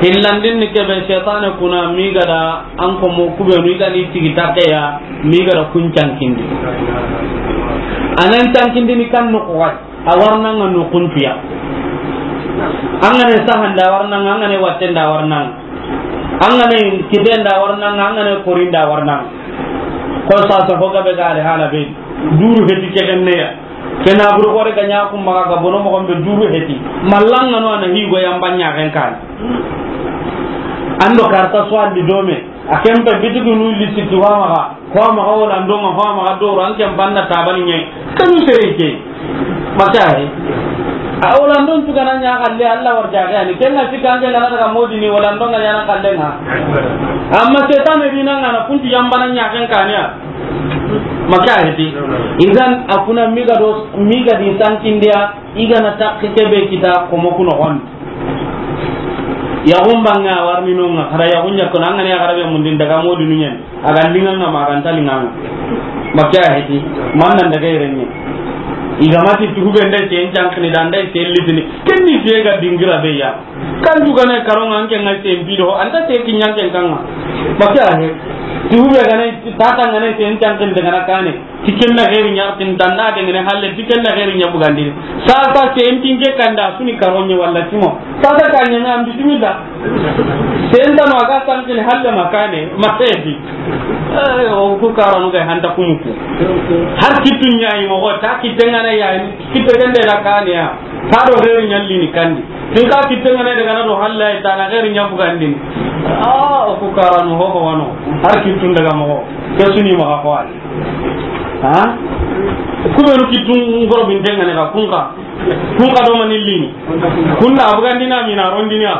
Hillandin ni kebe shaytane kuna mi ga da an komo kube mi ga ni tigi takke ya mi ga da kun cankindi. Anan cankindi ni kan no ko. A warnanga no kuntuya. Angane sahanda warnanga, angane wattenda warnanga. Angane kitenda warnanga, angane korinda warnanga. Ko sasa ho gabe gare hala be. Duru heti kegenneya. Kena buru kore ganya kum maga ga bono mo gombe duru heti. Mallanga no ana higo yambanya ken kan. Ando karta so andi dome. A ken pe bitigi nu lisi ti wa maxa, wa maxa wala ndonga, wa maxa doro, an ken banna tabani ɲe. Kanu sere ke. Maka he. A wala ndon tu gana ɲa xalle, Allah war jaxe ani. Ken na sika an ken gana daga modini wala ndonga ɲa na xalle nga. Amma setane dina ngana kuntu yambana ɲa ken kaniya. Maka he ti. Idan a kuna miga do, miga di sankindiya, i gana takki kebe kita ko mo kuno gon. Yaxun banŋe a warni nonga, hara yaxun ɲakkono, an ga na yaxara be mundin daga modinu ɲen, a ga linŋa nga ma, a ga nta linŋa nga. Maka he ti, man nan daga yere ɲe. I ga ma ti tugu be nda sen cankini da nda sen litini, ken ni fiye ga dingira be ya. Kan juga ne karonga an ke nga sen bido, an ta se ki ɲanken kanga. Maka he, tugu be ga ne, tata nga ne sen cankini daga na kane. Ti ken na xeeri ɲa, tin tanna de ngene halle, ti ken na xeeri ɲa bugandini. Sasa sen tinke kanda suni karonye walla timo. Sasa ka ɲa na bismillah. Sen tano a ga tankini halle makane, ma sedi. Eh, o ku karanu ga hanta kumuku. Har kitu ɲa yi mo ta kitengana ya, kitu kende la kane ya. Ta do xeeri ɲa lini kandi. Tin ka kitengana daga na do halle, ta na xeeri ɲa bugandini. Ah, o ku karanu ho ho wano. Har kitu daga mo. Ke suni ma ko. Ha? Kubenu kitu ngoro bintengane ka kunka. Kunka do mani lini. Kunda abugandina mina rondiniya.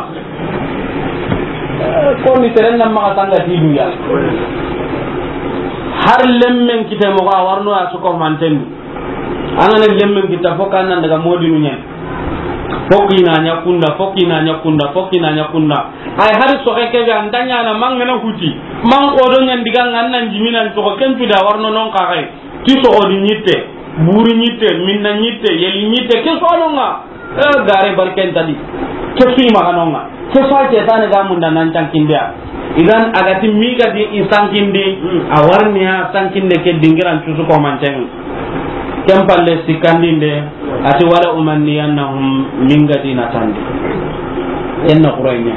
Ko ni seren nan maxa tanga ti duya. Har lemmen kite mo ga warno ya suko manten. An ga na lemmen kita fo kan nan daga modinu ɲen. Fo kina ɲa kunda, fo kina ɲa kunda, fo kina ɲa kunda. Ay hari soxe kebe an da ɲa na mangana huti. Man ko do ɲan diga ngan nan jiminan to ken tu da warno non ka gai. Ti soxo di ɲitte, buri ɲitte, minna ɲitte, yeli ɲitte, ke so anonga. Eh, gare barken tadi. Ke sui maganonga. Ke so a cetane ga munda nan cankindiya. Idan a ga ti mi ga di i sankindi, a warniya sankinde ke dingiran cusu ko manten. Ken palle sikandinde, a ti wala umanniyannahum, min ga di na tandi. Enna quraynya.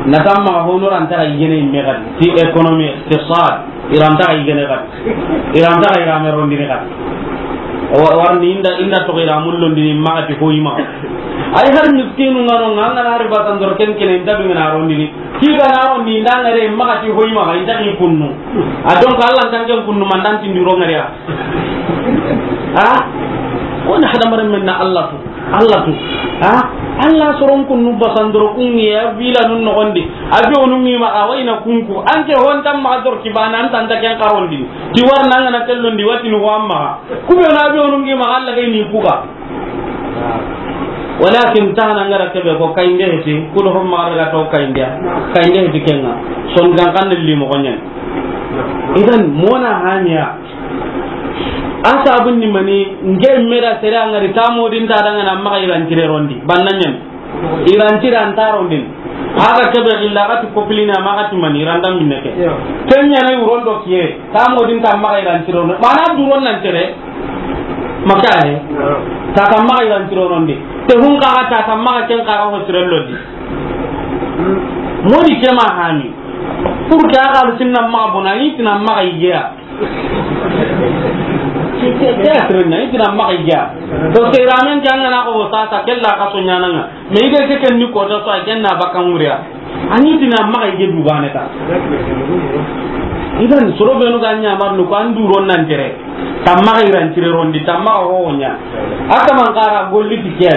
Na tamma hono ran tara yene me ga di. Ti économie, iqtisad. Iranta xa yigene xati. Iranta xa irame rondini xati. Wa-, warni inda, inda toxo iramun londini maxati hoyi maxa. Ay har miskinu ngano nga, ngana hari basandoro ken kene inta dungana rondini. Ki gana rondi inda ngare maxati hoyi maxa, inta ki kunnu. A donc Allah ntanken kunnu mandan tindiro ngariya. Ha? Wona hadamaren men na Allah tu. Allah tu. Ha? Allah soron kunnu basandoro kungiya vila nun nogondi. A be onu ngi ma a wayna kunku. Anke honta ma dor ki bana anta anta ken karondi. Ti warna ngana tellondi wati no wa ma. Ku be na be onu ngi ma Allah kay ni kuka. Walakin tahana ngara kebe ko kayinde heti, kudo hom ma daga to kayinde. Kayinde heti kenga. Son gan kan li mo gonyen. Idan mona hanya. A sabun ni mani, nge mera sere angari tamo din ta danga na maxa iran tire rondi. Banna ɲan. Iran tire an ta rondin. Aga kebe gilla gati kopilina maxa ti mani, iran dam minne ke. Yo. Kenya na uron do kiye, tamo din ta maxa iran tire rondi. Mana duron nan tere. Maka he. Yo. Ta ta maxa iran tire rondi. Te hun ka ta ta maxa ken ka ho tire lodi. Modi kema hani. Pour que aga sinna maxa bona, itina maxa igeya. Ke, ke, ke, ke, na, i tina maxa i ga. Parce que iramen ke an ga na ko sasa, kella ka so ɲananga. Mais i ga ke ken ni ko ta so, a ken na baka ŋuriya. Ani tina maxa i ga du bane ta. Idan soro be no ga ɲa mar no ko an du ron nan tere. Ta maxa iran tire rondi, ta maxa ho ɲa. Aka man kara golli ti ke.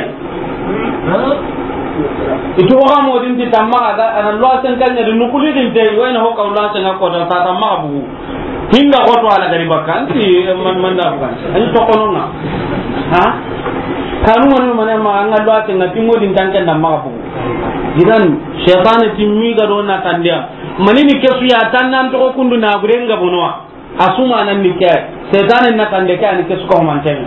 Itu ho ga mo din ti ta maxa ga, ana lo sen kan ɲa di nukuli din te, wayna ho ka lo sen ko ta, ta maxa bugu. Hinda xoto ala gari bakka, anti man, man da bukan. Ani tokononga. Ha? Kanu wani mane ma anga do ate nga timo din tanke na maxa bugu. Idan, shaytan ti mi ga do na tandiya. Manini kesu ya tannan to kundu na burenga bonoa. Asuma nan ni ke. Shaytan na tande ke ani kesu ko manten.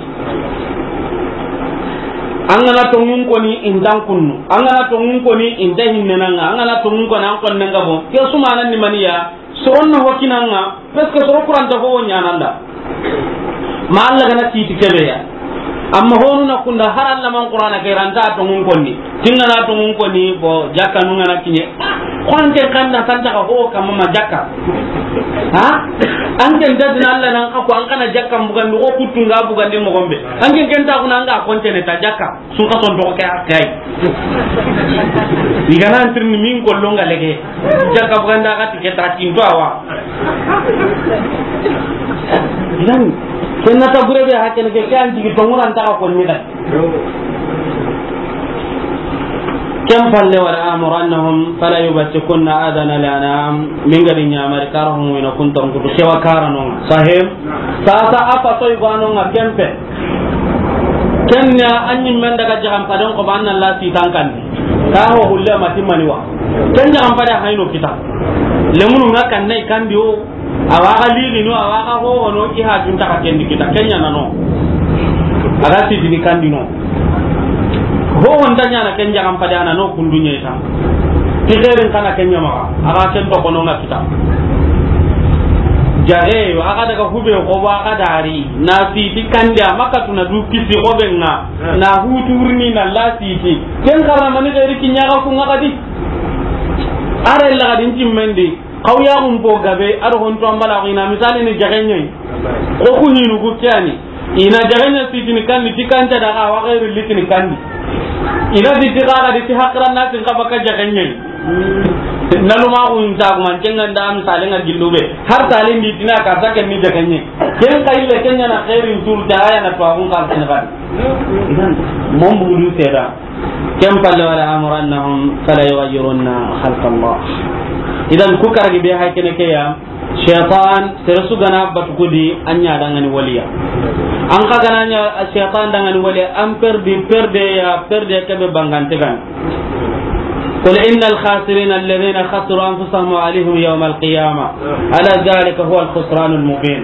Angana tongun koni intan kunnu. Angana tongun koni inta hinnenanga. Angana tongun koni an konnenga bo. Kesu manan ni maniya. Soron na hokinanga, parce que soro kuranta ho ɲananda. Ma Allah gana kiti kebeya. Amma honu na kunda har Allah man Qur'ana ke ranta tongun konni. Tingana tongun konni, bo jakka nungana kinye. Ko an ke kan na santa ka ho kama ma jakka. Ha? An ke dadina Allah nan ka ko an kana jakka bugandi, ko kuttu nga bugandi mo gombe. An ke ken ta kuna an ga kontene ta jakka. Sun ka son to ke akai. Igana antirni min ko longa lege. Jakka buganda ka tike ta tin to awa. Idan, ken na ta bure be hakken ke, ke an jigi to nguran ta ko ni da. Ken palle, wala amurannahum fala yubtikunna adana al-anam. Min ga di ɲamari kara hon wina kun ton kutu sewa kara non. Sahib. Sasa afa toy gwanon ken pe. Ken ya anyi men daga jahan padon ko banna la ti tankan. Ka ho hulle mati maniwa. Ken jahan pada hayno kita. Lemunu nga kan nay kandi o. Awa ga lili no, awa ga ho no, i ha junta ka kendi kita, ken ɲa na no. Aga sitini kandi no. Ho honda ɲa na ken jagan padana no kundu ɲe ta. Ti xeerin kana ken ɲa ma. Aga ken to kono nga kita. Jare yo, aga daga hube ko ba aga dari. Na siti kandi a makatuna du kisi ko benga. Na huturni na la siti. Ken xara mani xeeri kiɲa ga ku nga kadi. Are la ga din timmendi. Xaw ya xun po gabe, a do hon to an bala xina, misali ni jaxenɲe. Ko ku hinu ku kiyani. Ina jaxenɲe sitini kandi, ti kanta da xa wa xeeri litini kandi. Ina di ti xa ga di ti hakran na tin xa baka jaxenɲe. Na luma xun ta kuma, ken ga nda misali nga gillu be. Har talin di tina ka sa ken ni jaxenɲe. Ken xa ille ken ɲa na xeerin tur ta ya na to xun kan tin xa. Idan, mon bugu du seda. Ken palle, wala amurannahum fala yughayyirunna khalqa Allah. Idan ku karagi be hay kene ke ya, shaytan sere su gana batu kudi an ɲa dangani waliya. An ka gana ɲa shaytan dangani waliya, an perdi perde ya, perde ke be bangante gan. قل إن الخاسرين الذين خسروا أنفسهم وأهليهم يوم القيامة ألا ذلك هو الخسران المبين.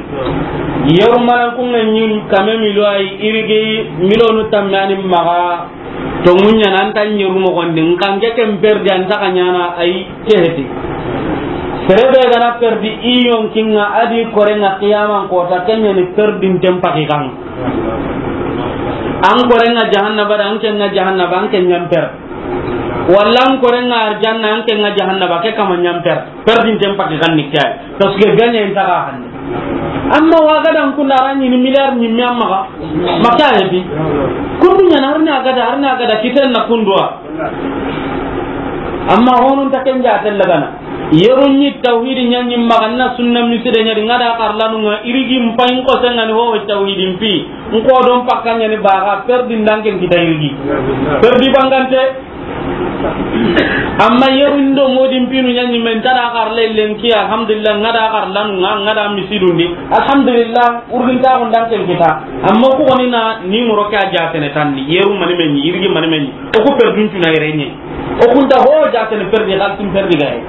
Yawma kun ɲin kame milo ay irigi milonu tammani maga. Tongunya nan tan yeru mo gondi, nkanke ken perdi an ta ka ɲana ay keheti. Serebe gana perdi i yonkinga adi korenga qiyaman kota, kenya ni perdi ntem pakikan. An korenga jahannaba da, an kenga jahannaba, an kenyan per. Walla an korenga arjanna, an kenga jahannaba, ke kama nyan per. Perdinten paki ganni kay. Parce que gagné inta ga hanne. Amma wa ga dan kunda rani ni milliard ni mi amma ga. Maka ya bi. Kundu ɲa na harna ga da, harna ga da kiten na kundwa. Amma honun ta ken ja tella gana. Yerun ni tawhidi ɲa ni maganna sunna miside ɲa di ngada karlanu nga irigi mpain ko sengani ho tawhidi mpi. Nko don pakanya ni baga perdi ndanken kita irigi. Perdi bangante. Amma yerundo modi mpinu ɲaɲi men tara xar lellen ki, alhamdulillah, ngada xar lanu nga, ngada misidundi, alhamdulillah, urginta on dan ken kita. Amma ku woni na ni moro ka jatene tanni, yeru mani men, irigi mani men. O ku perdun tuna irenye. O kunta ho jatene perdi, xaltin perdi gaye.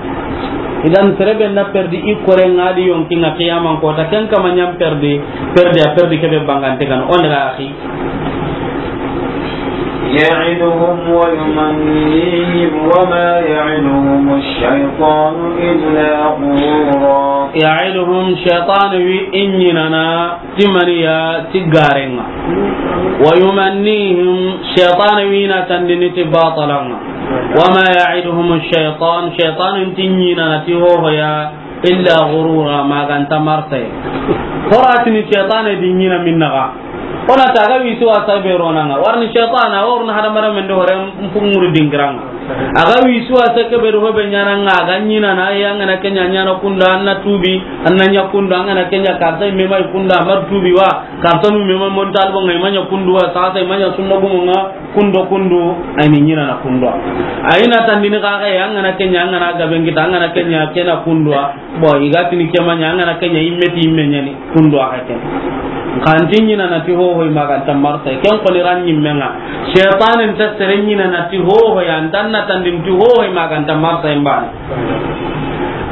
Idan serebe na perdi i kore ngadi yonkinga qiyaman kota, ken kama ɲam perdi, perdi a perdi kebe bangante kan. On daga akhi. يعدهم ويمنيهم وما يعدهم الشيطان إلا غرورا. يعدهم, shaytan wi i ɲinana ti maniya, ti garenga. ويمنيهم, shaytan wi na tandini ti batalanga. وما يعدهم الشيطان, shaytan nti i ɲinana ti hohoya. إلا غرورا, maganta marse. Horatini shaytan di ɲina minnaga. Ona taga wi suwa sabe ronanga. Warni shaytan, a worni hadamaren men do hore mpunguri dingiranga. Aga wi suwa seke be do hobe ɲananga, aga ɲinana, ya ngana kenya ɲana kunda, anna tubi, anna ɲa kunda, ngana kenya karta me mai kunda, mar tubi wa, karta nu me mai montal bo ngai manya kundu wa, sasa manya sunna gumunga, kundo kundu, ayni ɲinana kundwa. Ayna tandini kaga ya, angana kenya, angana gaben kita, angana kenya, kena kundwa. Bo, igatini kemanya, angana kenya, immeti immenyani, kundwa haken. Kanti ɲinana ti hoho i maganta marsa, ken koni ran ɲimmenga. Shaytan nta sere ɲinana ti hoho ya, ntanna tandin ti hoho i maganta marsa imbani.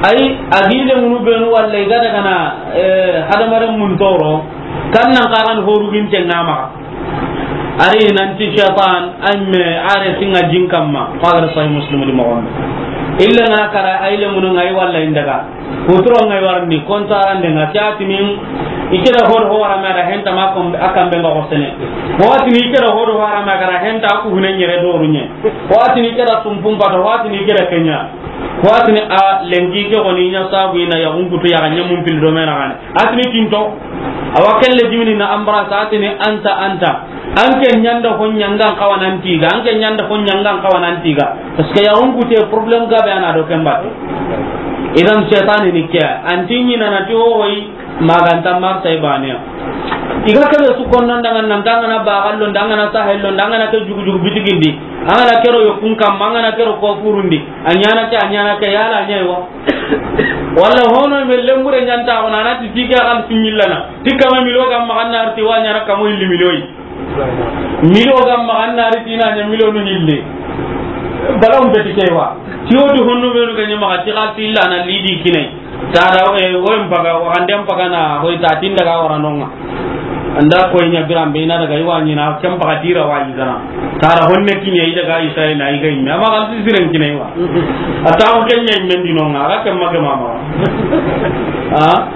Ay, agile munu benu walla igada kana, eh, hadamaren mun toro, kannan karan horu ginte ngama. Ari nanti shaytan, amme, are singa jin kamma. Fadar Sahih Muslim di moxon. Illa nga kara, ay le munu ngai walla indaga. Kuturo ngai warni, kontarande nga, kiatini, ikeda hor hora ma da henta ma kom, akambe nga hosene. Watini ikeda hor hora ma kara henta aku hune nyere doru nye. Watini ikeda sumpum pato, watini ikeda kenya. Ko a tini a lenki ke xoni ɲa sabu i na yaxun kutu yaxa ɲamun pil do me na xane. A tini tinto. Awa kelle jimini na embrasse a tini anta, anta. An ke ɲanda ko ɲangan xawa nan tiga, an ke ɲanda ko ɲangan xawa nan tiga. Parce que yaxun kute problème gabe a na do ken batte. Idan seytaane ni ke, an ti ɲi na na ti o woyi, maganta marsa i bane ya. I ga kebe su konno ndanga nan danga na bagallo, ndanga na sahello, ndanga na ke jugu jugu bitigindi. An ga na kero yo kun kamma, an ga na kero ko furundi. A ɲana ke, a ɲana ke, yala a ɲa yi wa. Walla hono me lembure ɲanta ko na na ti tike xal sinyillana. Tikka me milo ga maxa na arti wa ɲana kamo illi milo yi. Milo ga maxa na arti na ɲa milo nu hille. Bala um beti ke wa. Ti o du honno be nu ga ɲa maxa ti xal sillana lidi kinai. Tara, eh, woyin paga, waxanden paga na hoy ta tin daga wara nonga. Anda koy ɲa biran be na daga i wa ɲina, ken paga tira wa yi gana. Tara honne kiɲe i daga Israel na i ga imme. Ama xal siren kiɲe i wa. A ta ko ken ɲa imme ndi nonga, a ga ken ma ke mama. Ha?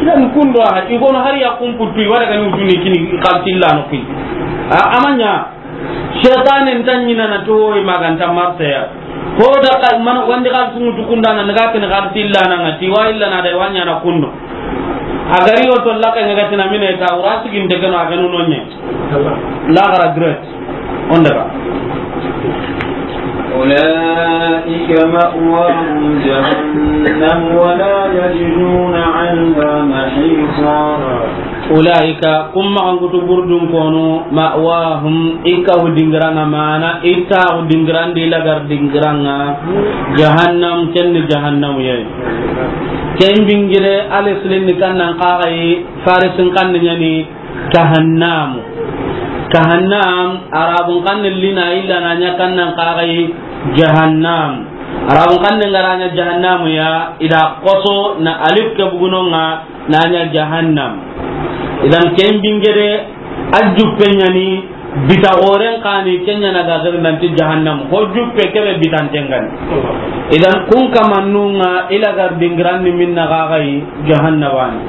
Idan kundo ha, i gono har ya kun putu, i wa daga ni wutuni kini xal sillano kui. A, ama ɲa. Seytaane nta ɲina na to i maganta marseya. Ko da ka man wandi xal sungu tukunda na ga ken xal sillana ngati wa illa na da wa ɲana kundo. A gari o to la ka ngati na mine ta wura sigin de kano a ganu nonye. La gara gret. On daga. أولئك مأواهم جهنم ولا يجدون عنها محيصا. Ulaika, kun maxankutu burdun konu, ma'wahum, i kahu dingiranga mana, i taxu dingirandi lagar dingiranga, jahannam, ken ni jahannamu yayi. Ken bingire, alislin ni kannan kaxayi, farisin kanni ɲani, kahannamu. Kahannam, arabun kanni lina illa na ɲa kannan kaxayi, jahannam. Arabun kanni ngara ɲa jahannamu ya, ida koso na alif ke bugunonga, na ɲa jahannam. Idan ken bingede a juppe ɲani bita xoren kani ken ɲana ga gari nanti jahannam. Ho juppe kebe bitanten gani. Idan kun kamannunga ila gar dingiranni minna gagayi jahannabani.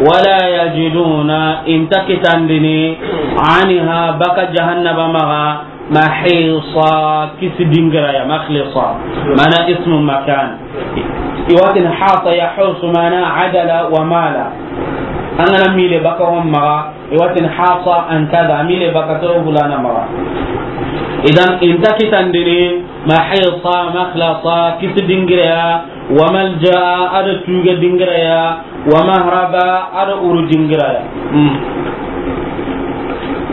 Wala yajiduna inta kitandini anha baka jahannaba maga mahisa, kisi dingiraya, makhlisa, mana ismu makan. Iwatin hasa yahusu mana adala wa mala. An gana mile baka hon maga, iwatin hasa an kada, mile baka to hulana maga. Idan inta kitandini mahisa, makhlasa, kisi dingiraya, wa malja, ada tuga dingiraya, wa mahraba, ada uru dingiraya. Hmm.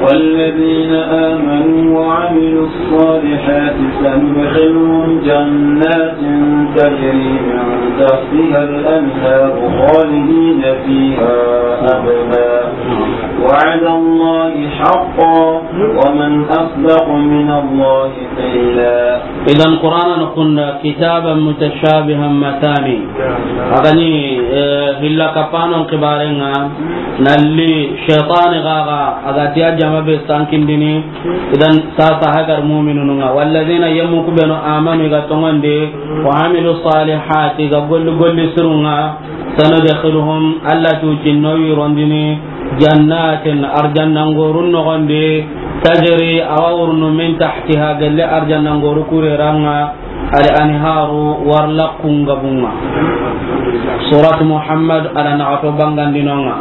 والذين آمنوا وعملوا الصالحات سندخلهم جنات تجري من تحتها الأنهار خالدين فيها أبدا وعد الله حقا ومن أصدق من الله قيلا. Idan Qur'ana na kunda kitaban mutashabihan mathani. Agani, eh, hilla kapanon kibarenga, nalli shaytani gaga, agati a jama be sankindini. Idan sasa hagar mu'minununga. Walladhina, yammu kubenu, amanu, iga tongonde, wa amilu salihati, iga golli golli sirunga. Sanudkhiluhum, Allah tu cinno wirondini, jannatin, arjanna ngorun nogondi, tajri, awa wurnu, min tahtiha, gelle arjanna ngoru kureranga, al anharu, warlaqun gabunga. Surat Muhammad, ada nagato bangandinonga.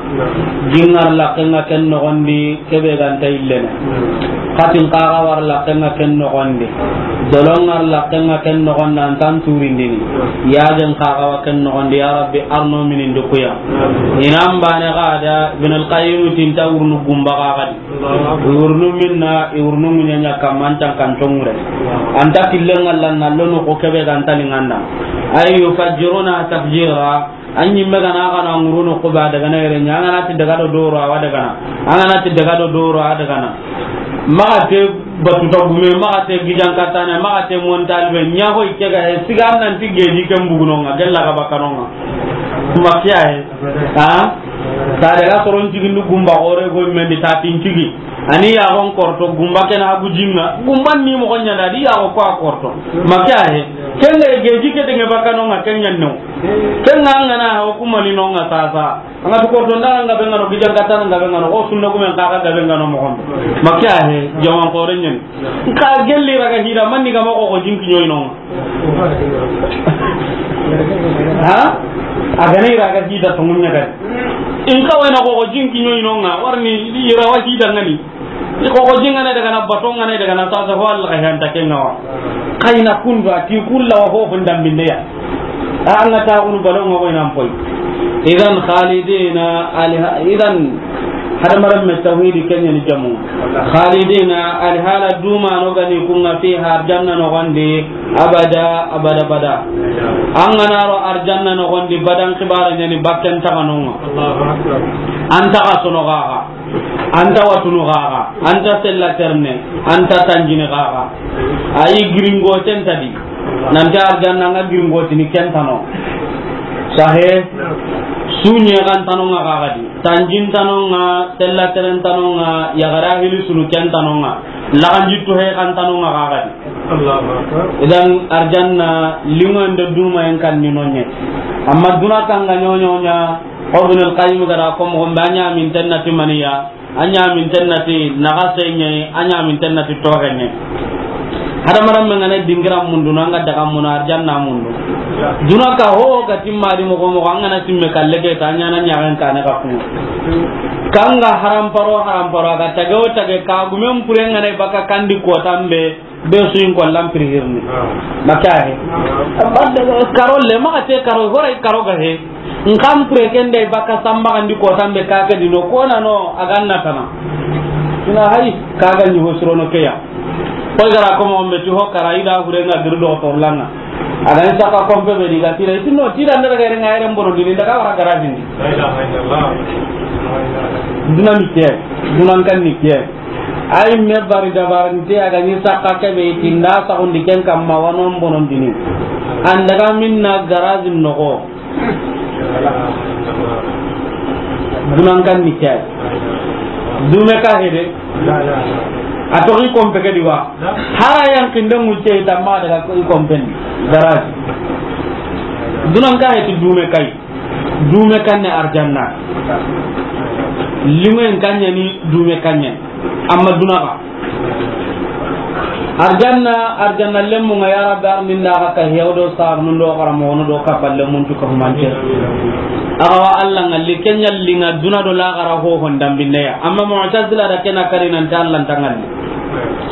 Jingar laqenga ken nogondi, kebe ganta illene. Katin kaga war laqenga ken nogondi. Dolongar laqenga ken nogondi, antan turindini. Yagen kaga wa ken nogondi, ya Rabbi, arno minin dukuya. Inan bane gada, Ibn al-Qayyim tinta wurnu gumba gagadi. Wurnu minna, i wurnu munyanya kamantan kan tongure. Anta killenga lanna lono ko kebe ganta linganda. Ay yufajjiruna tafjira. An ɲimme gana, a gana ŋuruno ko ba daga na yere ɲa, an gana ti daga do doro, awa daga na. An gana ti daga do doro, a daga na. Maxa te batuta gume, maxa te gijan katane, maxa te montalibe, ɲa hoy ke ga he, siga an nan ti geji ken bugunonga, gella ga bakanonga. Kuma kiya he. Ha? Ta daga soron cigindu gumba xore go mendi ta tin cigi. Ani yaxon korto gumba kena hagu jinga. Gumban ni moxo ɲanda di yaxo ko a korto. Ma ke a he. Kenga geji ke denge bakano nga ken ɲanno. Kenga an gana ha o kuma ni nonga sasa. Anga tu korto ndara nga bengano, gijan katana nga bengano, o sunna gumen kaka ga bengano moxon. Ma ke a he, jaman xore ɲen. Nka gelli raga hira manni ga moxo ko jinki ɲoy nonga. Ha? A ga na ira ga hita tongunya ga. In ka wena ko ko jinki nyoy no nga, warni ira wa hita ngani. Ko ko jinga na daga na bato nga na daga na sasa, ho Allah ka hanta ke nga wa. Kayna kundu a ti kulla wa ho hon dambinde ya. A nga ta unu balo nga wena mpoi. Idan khalidina alha-, idan hadamarenme tawhidi kenyani jamu. Khalidina, alhala duma no gani kunga, fiha, arjanna no gondi, abada, abada, abada. An ga na ro arjanna no gondi, badan kibara nyani bakken taganonga. Allahu Akbar. An taga sono gaga, an ta watunu gaga, an ta sella terne, an ta tanjini gaga. Ayi giringo tentadi. Nanti arjanna nga giringo tini kentano. Sahe, sunye kan tanonga gaga di. Tanjin tanonga, sella teren tanonga, yagara hili sunu ken tanonga, laganji tuhe kan tanonga gagadi. Allahu Akbar. Idan arjanna lingon de duma en kan ni nonye. Amma duna kan ga nyonyonya, Ibn al-Qayyim gara ko mo gombe anya min tennati maniya, anya min tennati naga senye, anya min tennati togenye. Hadamarenme ngana dingira mundu, nanga daga muna arjanna mundu. Duna ka ho ga timma di mogo mogo, an gana timme kalle ke ta nyana nyagan kane ka kuma. Kanga haram paro, haram paro, aga tage o tage ka gumen pure ngana baka kandi ko tambe, be su in ko lampiri hirni. Makahe. Karo le ma te karo, horai karo ga he. Nkan pure ken de baka samba kandi ko tambe ka ke dino ko na no aganna tana. Ina hay ka ga ni hosrono ke ya. Ko gara ko mo mbe ti ho kara ida hure nga giru do to langa. Aga ni saka kompe be diga tira itino tira ndara ga renga ere mbono dini daga wara gara dini. La ilaha illallah. Duna ni ke, dunan kan ni ke. Ay me bari dabarante aga ni saka ke be tinda sa hundi ken kamma wano mbono dini. Andaga minna garage nogo. Dunan kan ni ke. Dume ka hede. A to i kompe ke diwa. Hara yan kinde mu ce tamma daga ko i kompe ni. Garage. Dunan ka hede dume kai. Dume kan ne arjanna. Lingen kan ni dume kan. Amma duna ka. Arjanna, arjanna lemmu nga ya Rabbi arninda ka ka hewdo sar nundo kara mo no do ka balle mun tu ka humante. Aga wa Allah ngalli kenya linga duna do la gara ho hon dambinde ya. Amma Mu'tazila da kena kari nan ta Allah tangalli.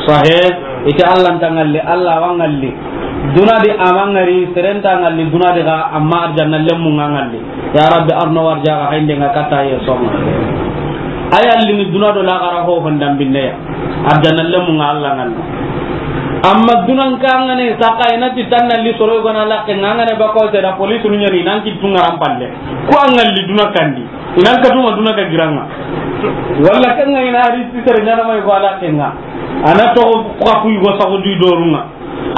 Sahe, ita Allah tangalli, Allah wa ngalli. Duna di amangari serenta ngalli duna di ga amma arjanna lemmu nga ngalli. Ya Rabbi, arno warjaga haynde nga kata ye soma. Aya lini duna do la gara ho hon dambinde ya. Arjanna lemu nga Allah ngan. Amma dunan ka ngane saka ina ti tanna li soro gona la ke ngane ba ko te da police nu nyani nan ki tunga rampalle. Ko angal li duna kandi. Inan ka tuma duna ka giranga. Walla kan ngane na ri ti tere nyana mai ko ala ke nga. Ana to ko ku go sa ko di dorunga.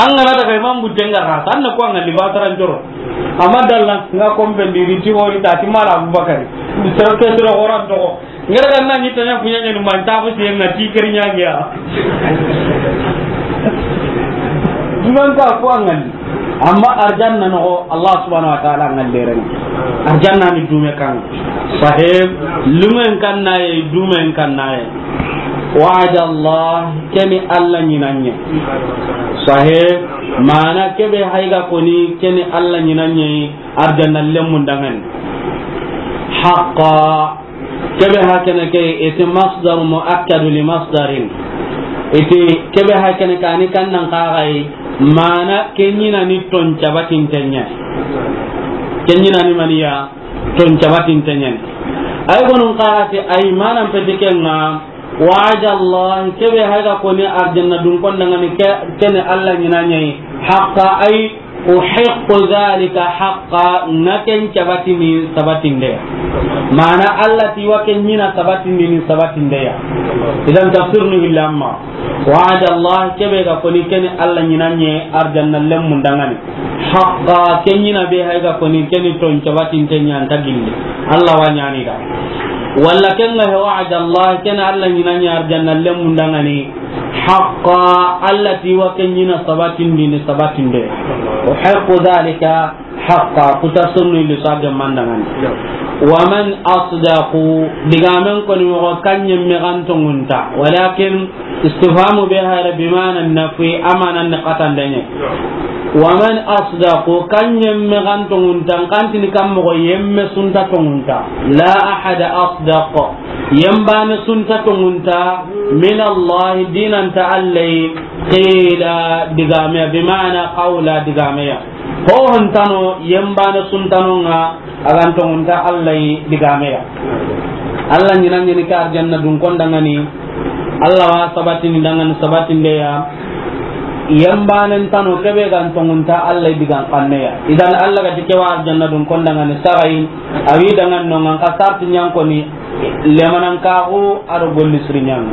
An gana daga imam butte nga xa, tan na ko an ga liba taran joro. Amma dalla nga kombe ndi ri ti hori ta ti mala Abubakari. Sero ke sero horan to. Ngara ga na ni tanya kunya ni man ta ko ti nga ti keri nya ya. Dunan ka ko an ga ni. Amma arjanna no Allah subhanahu wa ta'ala an ga leren. Arjanna ni dume kan. Sahib, lumen kan naye, dumen kan naye. Wa'ada Allah, keni Allah ɲinanɲe. Sahe, mana kebe hayga koni keni Allah ɲinanɲe, arjanna lemmun dangani. Haqqa, kebe hakene ke, iti masdar muakkadu li masdarin. Iti kebe hakene kani kannan kagai, mana ke ɲinani ton cabatin tenya. Ke ɲinani maniya, ton cabatin tenyani. Ay gonun kaati ay manan peti kenga, wa'ada Allah, kebe hayga koni arjanna dun kondangani ke, kene Allah ɲinanɲe, haqqa ay uhiqqu dhalika haqqa, na ken cabatini sabatinde. Mana Allah ti wa ken ɲina sabatindini sabatinde ya. Idan tafsir ni hillamma. Wa'ada Allah, kebe ga koni keni Allah ɲinanɲe arjanna lemmun dangani. Haqqa, ke ɲina be hay ga koni keni ton cabatinte ɲanta gilli. Allah wa ɲani da. Walla kenga he wa'ada Allah, keni Allah ɲinanɲe arjanna lemmun dangani. Haqqa, Allah ti wa ke ɲina sabatindini sabatinde. Uhiqqu dhalika haqqa, kuta sunnu illi sage mandangani. Wa man asdaqu, digamen koni mogo kanye megantongunta. Walakin istifhamu be hayra bimana nafi, amanan ne katandanye. ومن أصدق, kan yemme ga n tonŋunta, kan tini kan moxo yemme su nta tonŋunta. لا أحد أصدق, yembane su nta tonŋunta, من الله, dinanta Alla yi, قيلا, digame ya, بمعنى قولا, digame ya. Ho ho ntano, yembane su ntano ŋa, a ga n tonŋunta Alla yi digame ya. Alla ɲi na ɲi ni ke arjanna dun kon danŋa ni. Alla wa sabatini danŋa ni sabatinde ya. Yembane ntano kebe ga n tonŋunta Alla yi digan xanne ya. Idan Alla ga ti ke wa arjanna dun kon danŋa ni saxayi, a wi danŋa no ŋa n ka sarti ɲa n ko ni. Lemanankaxu a do golli siri ɲaŋa.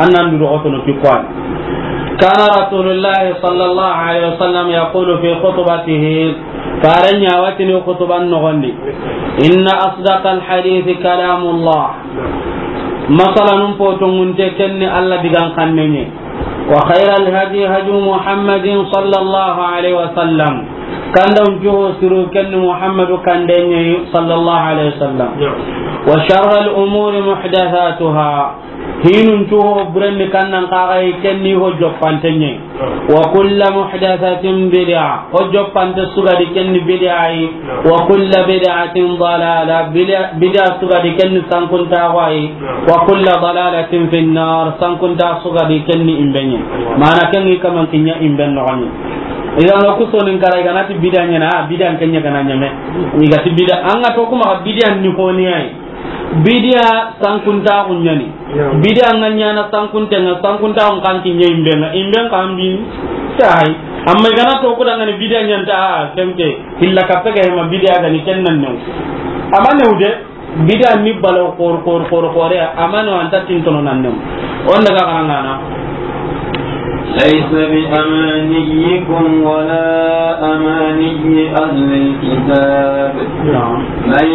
An nan du doxotono ki kuwani. كان رسول الله صلى الله عليه وسلم يقول في خطبته, Faaren ɲa wa tini xutuban noxon di, إن أصدق الحديث كلام الله. Masalanun po tonŋunte ken ni Alla digan xanne ɲa. وخير الهدي هدي محمد صلى الله عليه وسلم. Kandawun cu ho siru ken ni Muhammadu kanden ɲa yi, صلى الله عليه وسلم. وشر الأمور محدثاتها. Hinun cu ho buren ni kan nan kaga yi ken ni ho joppante ɲa yi. وكل محدثة بدعة. Ho joppante su ga di ken ni bid'a yi. وكل بدعة ضلالة. Bid'a, bid'a su ga di ken ni sankuntaxu yi. وكل ضلالة في النار. Sankuntaxu su ga di ken ni imbe ɲa yi. Mana ken ŋi kaman kiɲa imben noxon ɲa. Idan o ku sonin kara i ga na ti bid'a ɲa na, bid'a ken ɲa ga na ɲeme. I ga ti bid'a, an ga to kuma bid'a ni ho ni yi. Bid'a sankuntaxu ɲa ni. Bid'a ŋa ɲa na sankunte ŋa, sankuntaxu kan kiɲa imbe ŋa, imbe kan bi ni. Tayi. Amma i ga na to ku danŋa ni bid'a ɲa nta, a, ken ke. Hilla ka pega hema bid'a ga ni ken nan new. Amma new de, bid'a ni balaw xor, xor, xor, xore, amma no anta tintono nan new. On daga karangana. ليس بأمانيكم ولا أماني أهل الكتاب. نعم. من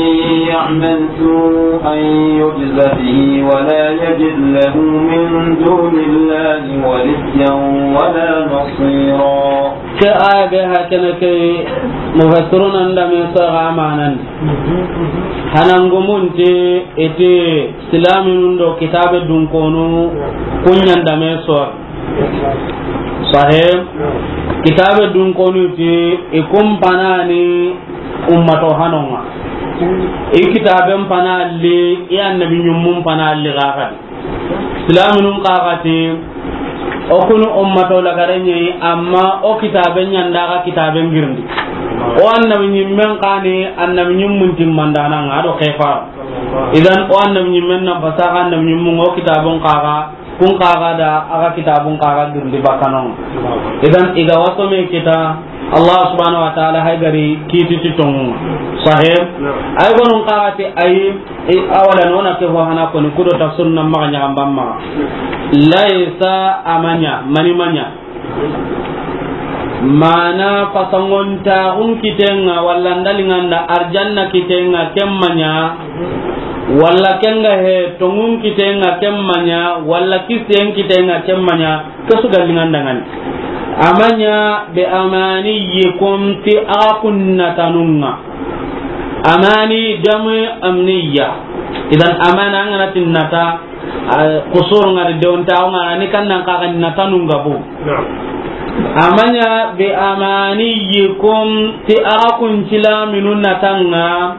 يعمل سوءا يجز به ولا يجد له من دون الله وليا ولا نصيرا. Ke aya be hakene ke mufassiruna nda me so ga amanan. Hanangumunte ete silaminun do kitabe dunkonu kunɲan da me so. Sahe, kitabe dunkonu ti i kumpanani ummato hanonga. I kitaben panalli, i annabi ɲummun panalli ga kadi. Silaminun kaxati, o kunu ummato lagarenɲeyi, amma o kitaben ɲanda ga kitaben girindi. O annabi ɲimmen kani, annabi ɲimmun timmandananga, a do kefa. Idan, o annabi ɲimmen na basa ga annabi ɲimmun o kitabun kaxa, kun kaxa da, a ga kitabun kaxa girindi bakkanon. Idan, i ga waso me kita, Allah subhanahu wa ta'ala hay gari kiti ti tongu. Sahih? Naam. Ay gonun kaxati ay, i, awala nona ke fo hana koni kudo tafsir na maxa ɲaxan ban maxa. Laysa amaɲa, mani maɲa. Mana fasangontaxun kitenga, walla ndalinganda arjanna kitenga, ken maɲa, walla kenga he, tongun kitenga, ken maɲa, walla kisen kitenga, ken maɲa, Ke su ga lingandangani. Amaɲa be amaniyikum ti a kunnatanunga. Amani jamu amniya. Idan amana an ga na ti nata, a, kusur ngari deonta nga ni kannan ka ga natanunga bu. Naam. Amaɲa be amaniyikum ti a kuncila minu natanga.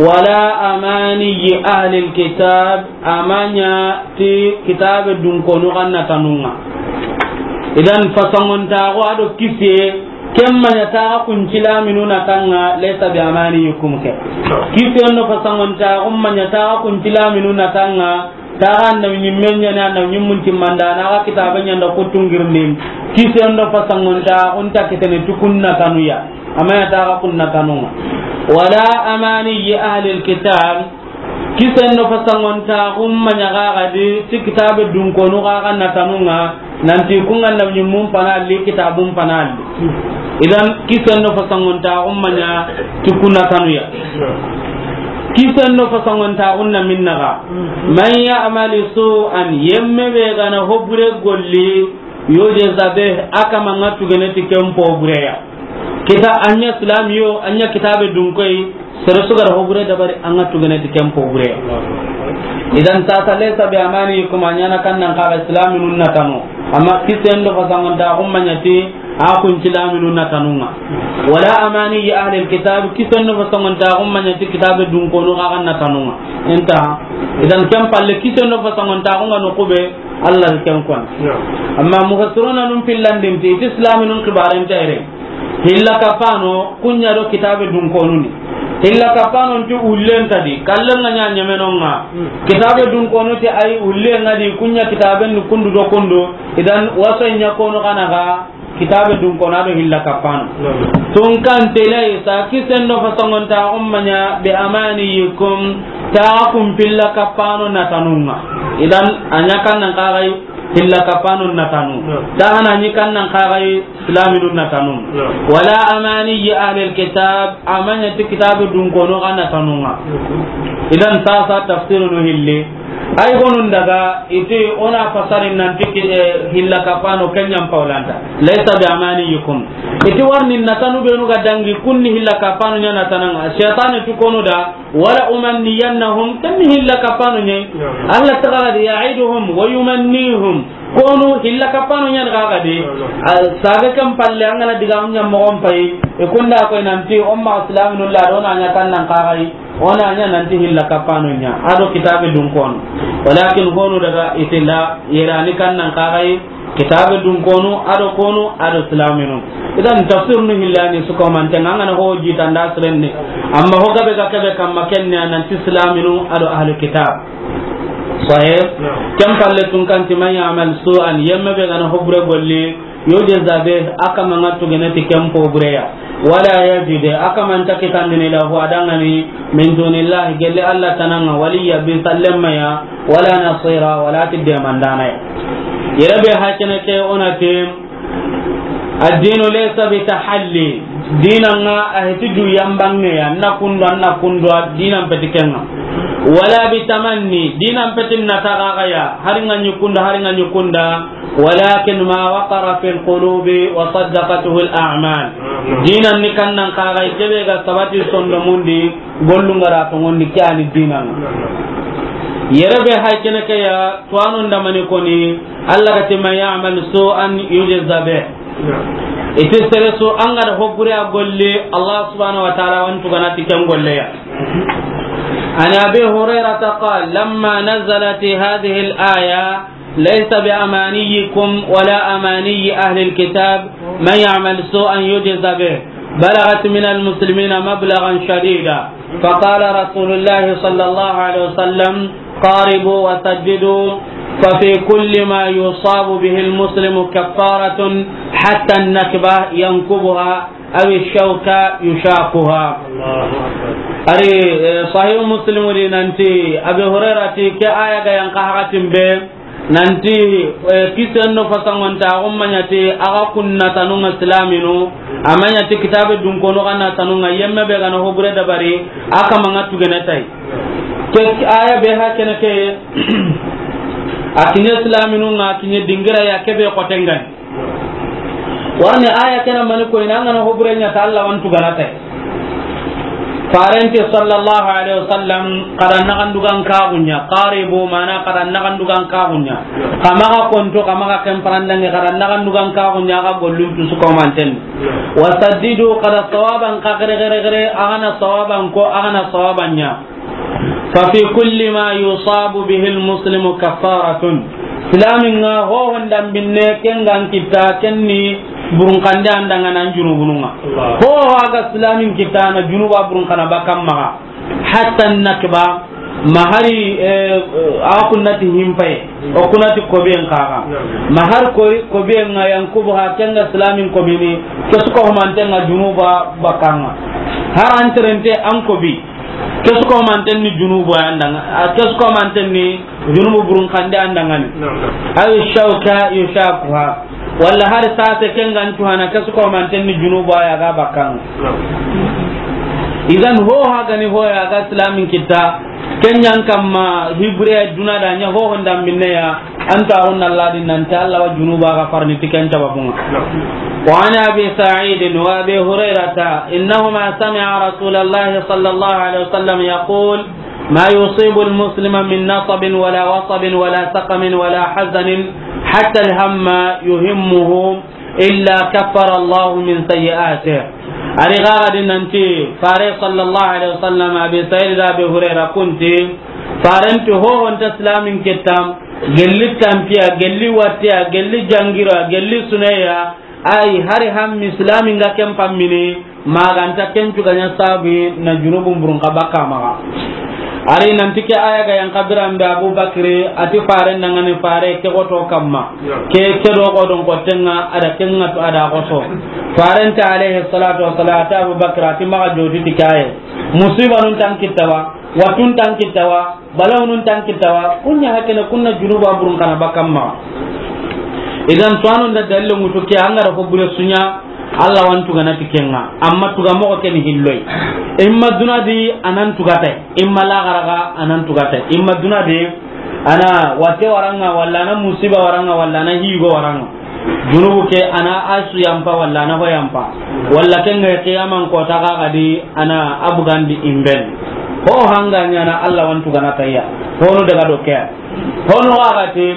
Wala amaniyi ahlil kitab, amaɲa ti kitabe dunkonu xa natanunga. Idan fasangontaxu a do kise, ken maɲa taxa kuncilaminu natanga, laysa bi amaniyikum ke. Kisen do fasangontaxu maɲa taxa kuncilaminu natanga, Taxa annabi ɲimmen ɲa ni, annabi ɲimmun timmanda, na xa kitabe ɲanda kuttun girindin. Kisen do fasangontaxu nta kitene ti kun natanuya. Amaɲa taxa kun natanunga. Wala amaniyi ahlil kitab. Kisen do fasangontaxu maɲa xa xa di ti kitabe dunkonu xa xa natanunga. Nanti kun annabi ɲimmun panalli, kitabun panalli. Idan, kisen do fasangontaxu maɲa ti kun natanuya. Kisen do fasangontaxu na minnaxa. Man ya'mali su'an, yemme be ga na hobure golli, yujza bih, a kama nga tugene ti ken pobureya. Kita anya silamiyo, anya kitabe dunkoy, Sere su ga da hobure dabari, an ga tugene ti ken pobure. Idan tata laysa bi amaniyikum, a ɲana kannan xa ga silaminun natanu. Amma kisen do fasangontaxu maɲa ti, A kun silaminu natanun ŋa. Wala amani ya ahlil kitab, kisen do fasongontaxun ma ɲa ti kitabe dunkonu xa ga natanun ŋa. Inta. Idan ken palle kisen do fasongontaxun ŋa no kube Allah ken kon. Amma mufassiruna nun pillandin ti, ti silaminun xibaren tere. Hilla kapano, kun ɲa do kitabe dunkonu ni. Hilla kapano nti ullen ta di, kallen ŋa ɲa ɲemenon ŋa. Kitabe dunkonu ti ay ullen ŋa di, kun ɲa kitaben ni kundu do kundu, idan waso ɲa kono kana ga, kitabe dunkonu do hilla kapano. Tun kan telay sa kisen do fasongontaxun ma ɲa bi amaniyikum, ta kun pilla kapano natanun ŋa. Idan a ɲa kan nan kaxay hilla kapano natanu. Ta hana ɲi kan nan kaxay silaminu natanu. Wala amani ya ahlil kitab, a ma ɲa ti kitabe dunkonu xa natanun ŋa. Idan sasa tafsirunu hilli. Ay gonun daga iti ona fasarin nan ti ki-, eh, hilla kapano ken ɲa n pawlanta. Laysa bi amaniyikum. Iti warni natanu benu ga dangi kunni hilla kapano ɲa natanan ŋa. Shaytan tu konu da. Wala umanniyannahum, ken ni hilla kapano ɲa. Allah taga di ya'iduhum wa yumannihum. Konu hilla kapano ɲa ga ga di. Sabe kan palle an ga na diga mun ɲa mogon pay. E kunda ko nanti umma islaminu la do na ɲa kan nan kaxay. Ona ɲa nanti hilla kapano ɲa. A do kitabe dunkonu. Walakin konu daga itilla yerani kan nan kaxay. Kitabe dunkonu, a do konu, a do silaminu. Idan tafsirunu hillani su ko manten ŋa, an ga na ho jitanda sirenne. Amma ho gabe ga kebe kamma kenne nanti silaminu, a do ahli kitab. Sahih? Ken palle tun kan ti man ya'mal su'an, yemme be ga na ho bure golli, yujza bih, a kama ŋa tugene ti ken ho bure ya. Wala yajid, a kama nta kitandini lahu a danŋa ni, min dunillahi, gelli Allah tanan ŋa, waliya, bi sallemma ya, wala nasira, wala ti demandana ya. Yere be hakene ke ona ti, ad-dinu laysa bi tahalli, dinan ŋa a heti du yambange ya, na kundo, na kundo, dinan peti ken ŋa. Wala bi tamanni, dinan peti na taga ya, hari ŋa ɲi kunda, hari ŋa ɲi kunda, walakin ma waqara fil qulubi wa saddaqatuhu al a'mal. Dinan ni kan nan kaxay kebe ga sabati sondomun di, gollun ga ra tonŋundi ke yani dinan ŋa. Yere be hay kene ke ya, tuwanu ndamani koni, Allah ga ti man ya'mal su'an yujza bih. Iti sere su an ga da ho bure a golli, Allah subhanahu wa ta'ala wa n tugana ti ken golle ya. An Abi Hurairata qala, lamma nazalat hadhihi al-aya, laysa bi amaniyikum wala amaniyi ahli al-kitab, man ya'mal su'an yujza bih, balaghat min al-muslimina mablaghan shadida. Faqala Rasulullah sallallahu alaihi wasallam, qaribu wa saddidu, fa fi kulli ma yusabu bihi al-muslimu kaffaratun, hatta an-nakba yankubuha, aw ash-shawka yushakuha. Ari, eh, Sahih Muslim di nanti, Abi Hurairah ti, ke aya ga yan ka hakatin be, nanti, eh, kisen no fasangontaxun ma ɲa ti, a ga kun natanun ŋa silaminu, a ma ɲa ti kitabe dunkonu xa natanun ŋa, yemme be ga na ho bure dabari, a kama ŋa tugene tay. Ke aya be hakene ke, a kiɲe silaminun ŋa, a kiɲe dingira ya kebe xoten ŋa ni. Warni aya kena mani ko ina ngana ho bure ɲa ta Allah wa n tugana tay. Farenti sallallahu alaihi wasallam, kada nagandugan kagunya, qaribu, mana kada nagandugan kagunya. Kama ga konto, kama ga kemparandange, kada nagandugan kagunya, ga gollun tu su ko manten. Wa saddidu, kada sawaban ka gere gere gere, agana sawaban ko, agana sawaban ɲa. Fa fi kulli ma yusabu bihi al-muslimu kaffaratun. Silamin ŋa ho honda binne ken ga n kitta ken ni burun kande an danŋa na junubunun ŋa. Allah. Ho ho ga silamin kitta na junuba burun kana bakam maga. Hatta nakba ma hari, eh, a kunnati himpaye. O kunati kobiyen kaga. Naam. Ma har ko, kobiyen ŋa yan kubu ha ken ga silamin kobini. Kesu ko manten ŋa junuba bakan ŋa. Har an terente an kobi. Kesu ko manten ni junubu an danŋa, a kesu ko manten ni junubu burun kande an danŋa ni. Naam, naam. Aw shawka yushakuha. Walla har sase ken ga n tuhana kesu ko manten ni junubu ya ga bakkan. Naam. Idan ho ha gani ho ya ga silamin kitta. Ken ɲan kamma hibre duna da ɲa ho honda minne ya. Anta on Allah din nan ta Allah wa junuba ga farni tiken tababunga. Wa an Abi Sa'id wa Abi Hurairata innahuma sami'a Rasulallahi sallallahu alaihi wasallam yaqul, ma yusibu al-muslima min nasabin wala wasabin wala saqamin wala hazanin hatta al-hamma yuhimmuhu إلا كفر الله من سيئاته. A ri ga ga di nanti Faare sallallahu alaihi wasallam, Abi Sa'id da Abi Hurayra kunti, Faaren ti ho ho nta silaamin kitta, gelli tanpiya, gelli wattiya, gelli jangira, gelli suneya, ay hari hammi silaamin ga ken pammini, ma ga nta ken cuga ɲa sabu na junubun burun xa bakka maxa. A ri nanti ke aaya ga yan xa biran be Abu Bakri, a ti Faaren da ŋa ni Faare ke xoto kamma. Ke, ke do xo don xottenŋa, a da ken ŋa tu a da xoso. Faaren ti alayhi salatu wassalam, a ti Abu Bakri, a ti maxa joti ti kaye. Musiba nun tan kitta wa, watun tan kitta wa, balawunun tan kitta wa, kunya hakene kunna junuba burun kana bakka maxa. Idan to anon da dalil mutu ke an ga da ko bure sunya, Allah wa an tugana ti ken ŋa, amma tuga moxo ke ni hilloy. Imma duna di a nan tugata, imma laxara ga a nan tugata. Imma duna di a na watte wara ŋa, walla a na musiba wara ŋa, walla a na higo wara ŋa. Junubu ke a na a su yampa, walla a na ho yampa. Walla ken ŋa qiyaman kota ga ga di a na a bugandi imben. Ho hanga ɲa na Allah wa an tugana tayya. Ho no daga do ke. Ho no ga ga ti,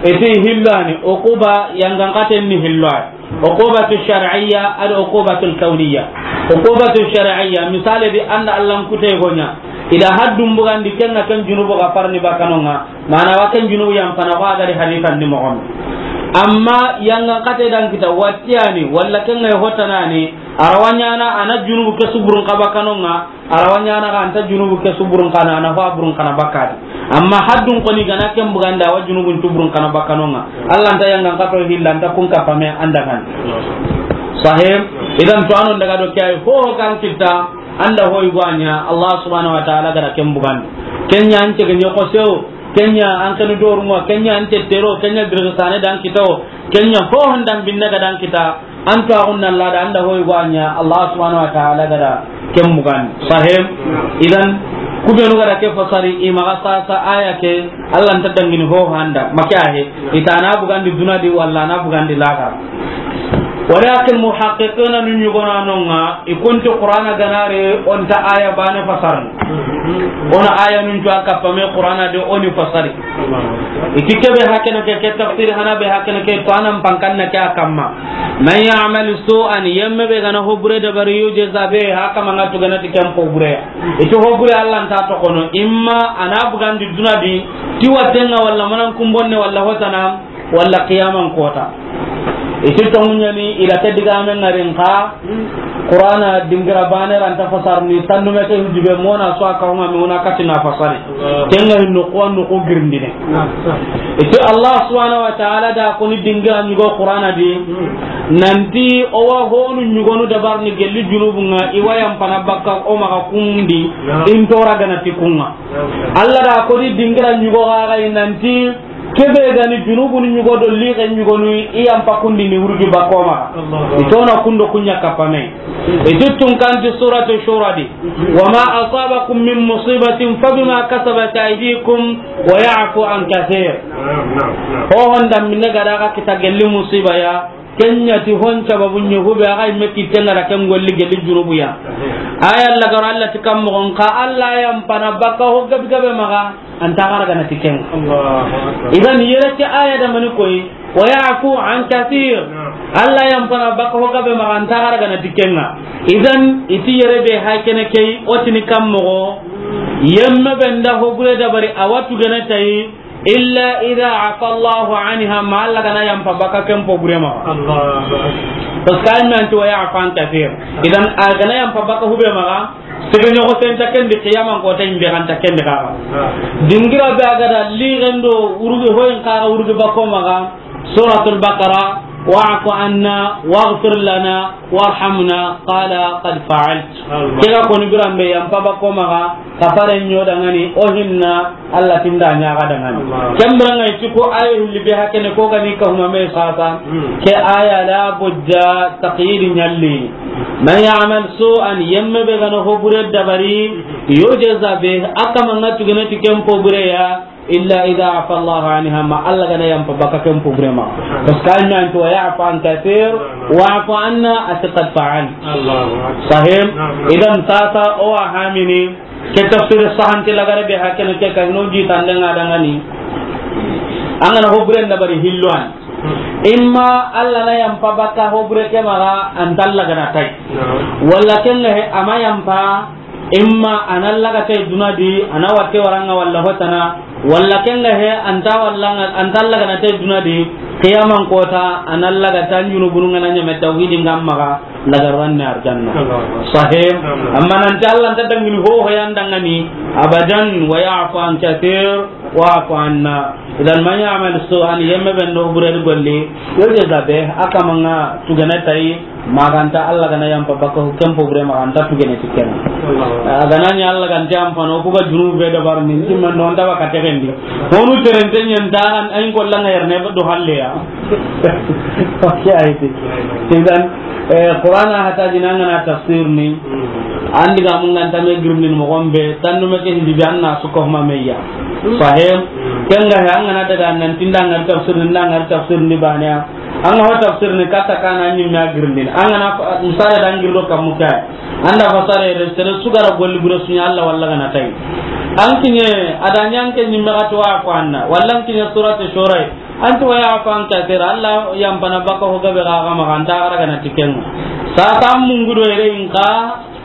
iti hillani, uquba yangan katen ni hillo. Uqubatu shar'iyya, al uqubatu al kawniyya. Uqubatu shar'iyya, misale di an da Allah n kute go ɲa. I da haddun bugandi ken ŋa ken junubu ga farni bakkanonŋa. Mana wa ken junubu yampana wa ga di hadisan di moxon. Amma yangan kate dan kita wattiyani, walla ken ŋa hotanani, a ra wa ɲaana a na junubu ke su burun xa bakkanonŋa. A ra wa ɲaana ga anta junubu ke su burun kana, a na fa burun kana bakka di. Amma haddun koni gana ken buganda wa junubun tu burun kana bakkanonŋa. Allah nta yangan kato hilla nta kun kapame an da kan. Sahih. Idan to anon daga do kay ho kan kitta an da hoy gwanya Allah subhanahu wa ta'ala ga da ken bugandi. Kenya an ce ganyo ko sew, kenya an kanu doruma, kenya an tettero, kenya dirga sane dan kitawo, kenya ho hondan binne ga dan kita. An to agunna Allah da an da hoy gwanya Allah subhanahu wa ta'ala ga da ken mugan. Sahih. Idan kubenu ga da ke fasari i maxa sasa aya ke Allah nta dangini ho handa make ahe. Itana bugandi duna di walla na bugandi laxara. Walakin muhaqqiqina nun yugonanonŋa i kunti Qur'ana ganare o nta aya bane fasarni. O na aya nun cuwa kappa me Qur'ana de o ni fasari. Iti kebe hakene ke, ke tafsir hana be hakene ke to anan pankanna ke a kamma. Man ya'mal su'an, yemme be gana hobure dabari, yujza be, haka manga tugana ti ken pobure. Iti hobure Allah nta to kono, imma a na bugandi duna di, ti wattenŋa walla manan kumbonne walla hotana, walla qiyaman kota. Iti tongunyani ila ke digamen ŋarin xa, Qur'ana dingira bane ranta fasarni, tandume ke hujube mona so aka huma mi una katina fasari. Tenga hinno ko anno ko girindine. Iti Allah subhanahu wa ta'ala da ko ni dingira nyugo Qur'ana di. Nanti o wa honu nyugonu dabarni gelli junubunŋa i wa yampana bakka o maxa kundi. Intora gana ti kunŋa. Allah da ko ni dingira nyugo ga ga nanti Kebe gani junubun ɲugo do lixe ɲugonu i yampa kundi ni wurgi bakoma. Allahu Akbar. Itona kundo kunya kapame. Ituttun kanti suratu Shura di. Wa ma asabakum min musibatin fa bima kasabat aydikum wa ya'fu an kathir. Naam, naam, naam. Ho honda minne gada ga kita gelli musiba ya. Kenya ti hon sababu ɲugo be aga imme kitenga da ken golli gelli junubu ya. Aya Allah garo Allah ti kam mo ka Allah yampana baka ho gabe gabe maga. Anta xara gana ti kenga. Allahu Akbar. Idan yere ke aya da mani koy, wa ya'fu an kathir. Naam. Allah yampana baka ho gabe maga anta xara gana ti kenga. Idan iti yere be hakene kay otini kam mogo. Yemme be nda ho bure dabari a wa tu gana tayi, illa idha afa Allahu anha, ma Allah gana yampa baka ken po bure maga. Allahu Akbar. Parce que ay men to wa ya'fu an kathir. Idan a gana yampa baka hube maga. Sege ɲogo senta kendi, qiyaman kota imbe ganta kendi kaga. Dingira be a gada lixen do urugi hoyin kaga urugi bako maga. Suratul Baqara, wa'fu anna, waghfir lana, warhamna, qala qad fa'alt. Kega koni biran be yampa bako maga, kafare ɲo dangani, o hinna, Allah tinda ɲaga dangani. Kembra ngai tiko ayo hilli be hakene ko gani ka huma me sasa. Ke aya la budda taqyid ɲalli. Man ya'mal su'an, yemme be gana ho bure dabari, yujza bih, a kama nga tugene ti ken po bure ya, illa idha afa Allahu anha, ma Allah gana yampa baka ken po bure ma. Parce que anna antu wa ya'fu an kathir, wa'fu anna, ati qad fa'al. Allahu Akbar. Sahih? Naam, naam. Idan sasa o wa hamini, ke tafsir sahante lagare be hakene ke ka no ji tande nga dangani. Angana ho bure dabari hilwan. Imma Alla na yampa bakka ho bure ke maxa, an ta Alla gana tay. Walla ken ga he, a ma yampa, imma a na Alla ga tay duna di, a na watte waranga walla hotana, walla ken ga he, an ta walla, an ta Alla gana tay duna di, qiyaman kota, a na Alla ga tan junubunu ngana ɲame tawhidi ngam maxa, laga ranne arjanna. Sahih. Amma nan ta Alla nta dangini ho ho yan dangani, abadan, wa ya'fu an kathir, wa'fu anna. Idan man ya'mal su'an, yemme ben do bure di golli, yurja be, a kamanga tugene tay, maxa an ta Alla gana yampa bakka ho ken po bure maxa an ta tugene ti ken. A gana ni Alla ganta yampa no, ku ga junube be dabar ni, timman no nda baka tegendi. Honu terenten yan ta an, ayin ko langa yerne do halle ya. Oke, ayi ti. Idan, eh, Qur'ana hata jina ngana tafsir ni. An diga mun ganta me girnin mo gombe, tannu me ke hindi bi anna su ko ma meya. Sahih. Ken ga he an gana daga nan tinda ngar tafsir ni, ngar tafsir ni bane. An ga ho tafsir ni kata kana ni me girnin. An gana fa-, misale dan girdo kamuka. Anda fasare re sere sugara golli bure sunya Alla walla gana tay. An kinye, ada nyanke ni me ga to wa ko anna. Walla an kinye surat Shura. An ti wa ya'fu an kathir, Alla yampana bakka ho gabe ga ga maxa, an ta gara gana ti ken. Sasa an mungu do yere inka,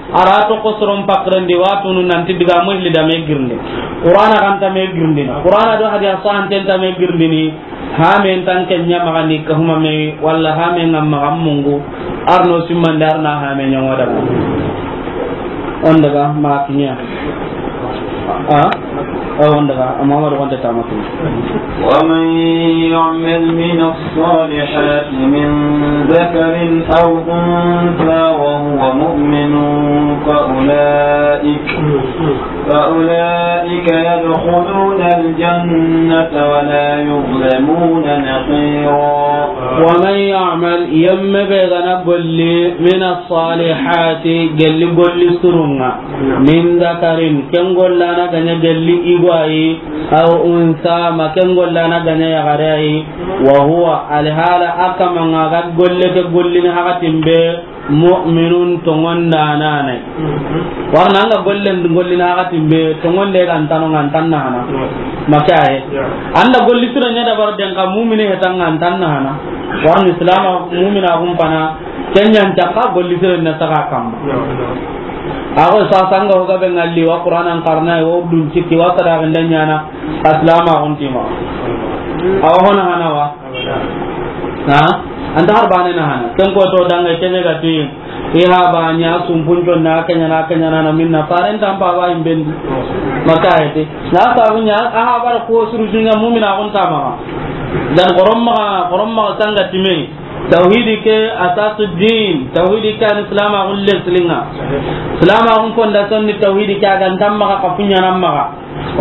a ra to ko soron pakren di watunu nan ti diga mo hilli da me girndi. Qur'ana kan ta me girndi. Qur'ana do hadisa han ten ta me girndi ni. Ha me tan ken ɲa maxa ni ka huma me, walla ha me ngam maxa mungu. Arno simman darna ha me ɲa ngoda. On daga ma kinya. Ah? Oh, on daga, Muhammad wanda ta mutu. ومن يعمل من الصالحات من ذكر أو أنثى وهو مؤمن فأولئك، فأولئك يدخلون الجنة ولا يظلمون نقيرا. ومن يعمل، yemme be gana golli, من الصالحات, gelli golli surunga. Min dakarin, ken gollana ga ɲa gelli igo ayi, aw unsa, ma ken gollana ga ɲa yaxare ayi, wa huwa, alhala a kamanga ga golle ke gollini hakatin be, mu'minun, tongondananai. Warna anga gollen gollini hakatin be, tongonde ga ntano nga ntanna hana. Maka aye. Anda golli sira ɲa dabar den ka mumini hetanga ntanna hana. Warni islama mumina kumpana, Kenyan cakka golli sire na saga kamma. Ago sasa nga hoga be ngalli wa Qur'anan karna, wa dun cikki, wa sadaqa ndanyana, aslama guntima. Awa hona hana wa? Ha? Anta har bane na hana. Ken ko to danga kebe ga ti, i ha ba nya sumpun jonna, kenya na, kenya na, na minna. Faren tampa ba imbendi. Maka ete. Na sabu nya, aha bar ko suru junya mumina gun tama. Dan koromma, koromma sanga time. Tawhidi ke asasu din, tawhidi ke an islama gulle silinga. Islama gun fondation ni tawhidi ke, a ga nta maxa kafunya na maxa.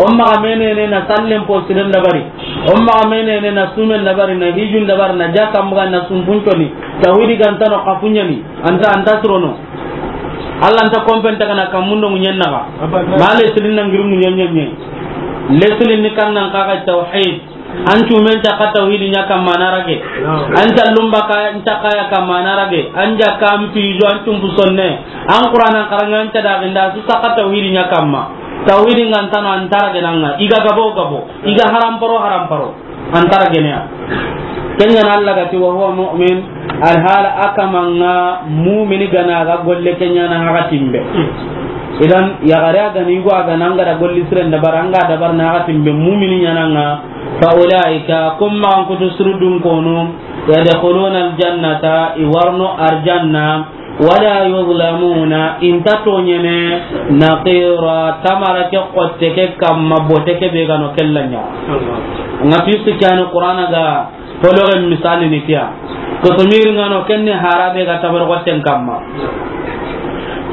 O maxa menene na sallen po siren dabari. O maxa menene na sumen dabari, na hijun dabari, na jaka muga na sumpunconi. Tawhidi ga nta no kafunya ni, anta, anta surono. Allah nta kompen ta kana kamundo munyen naga. Ma le silin na ngiru munyen nyen. Le silin ni kan nan kaga tawhid. An cumen caka tawhidi ɲa kamma na rage. An callumba ka, an caka ya kamma na rage. An jaka, an pijo, an cumpu sonne. An Qur'anan karanga, an cada ginda, su saka tawhidi ɲa kamma. Tawhidi nga ntano an ta rage nanga. Iga gabo gabo. Iga haramparo haramparo. An ta rage ne ya. Kenya na Allah gati wa huwa mu'min. Alhala a kamanga mumini gana ga golle kenya na haga timbe. Idan ya gare a gani go a gana nga da golli siren dabar, anga dabar na haga timbe mumini ɲananga. Fa ulaika, kum ma an kutu surudun kono, yadkhuluna aljannata, i warno arjanna, wala yuzlamuna, inta toɲene, naqira, tamara ke xotte ke kamma, bote ke be gano kella ɲa. Nga fi sikani Qur'ana ga, fologen misali ni tiya. Kotomiri ngano kenni harabe ga tamara xotten kamma.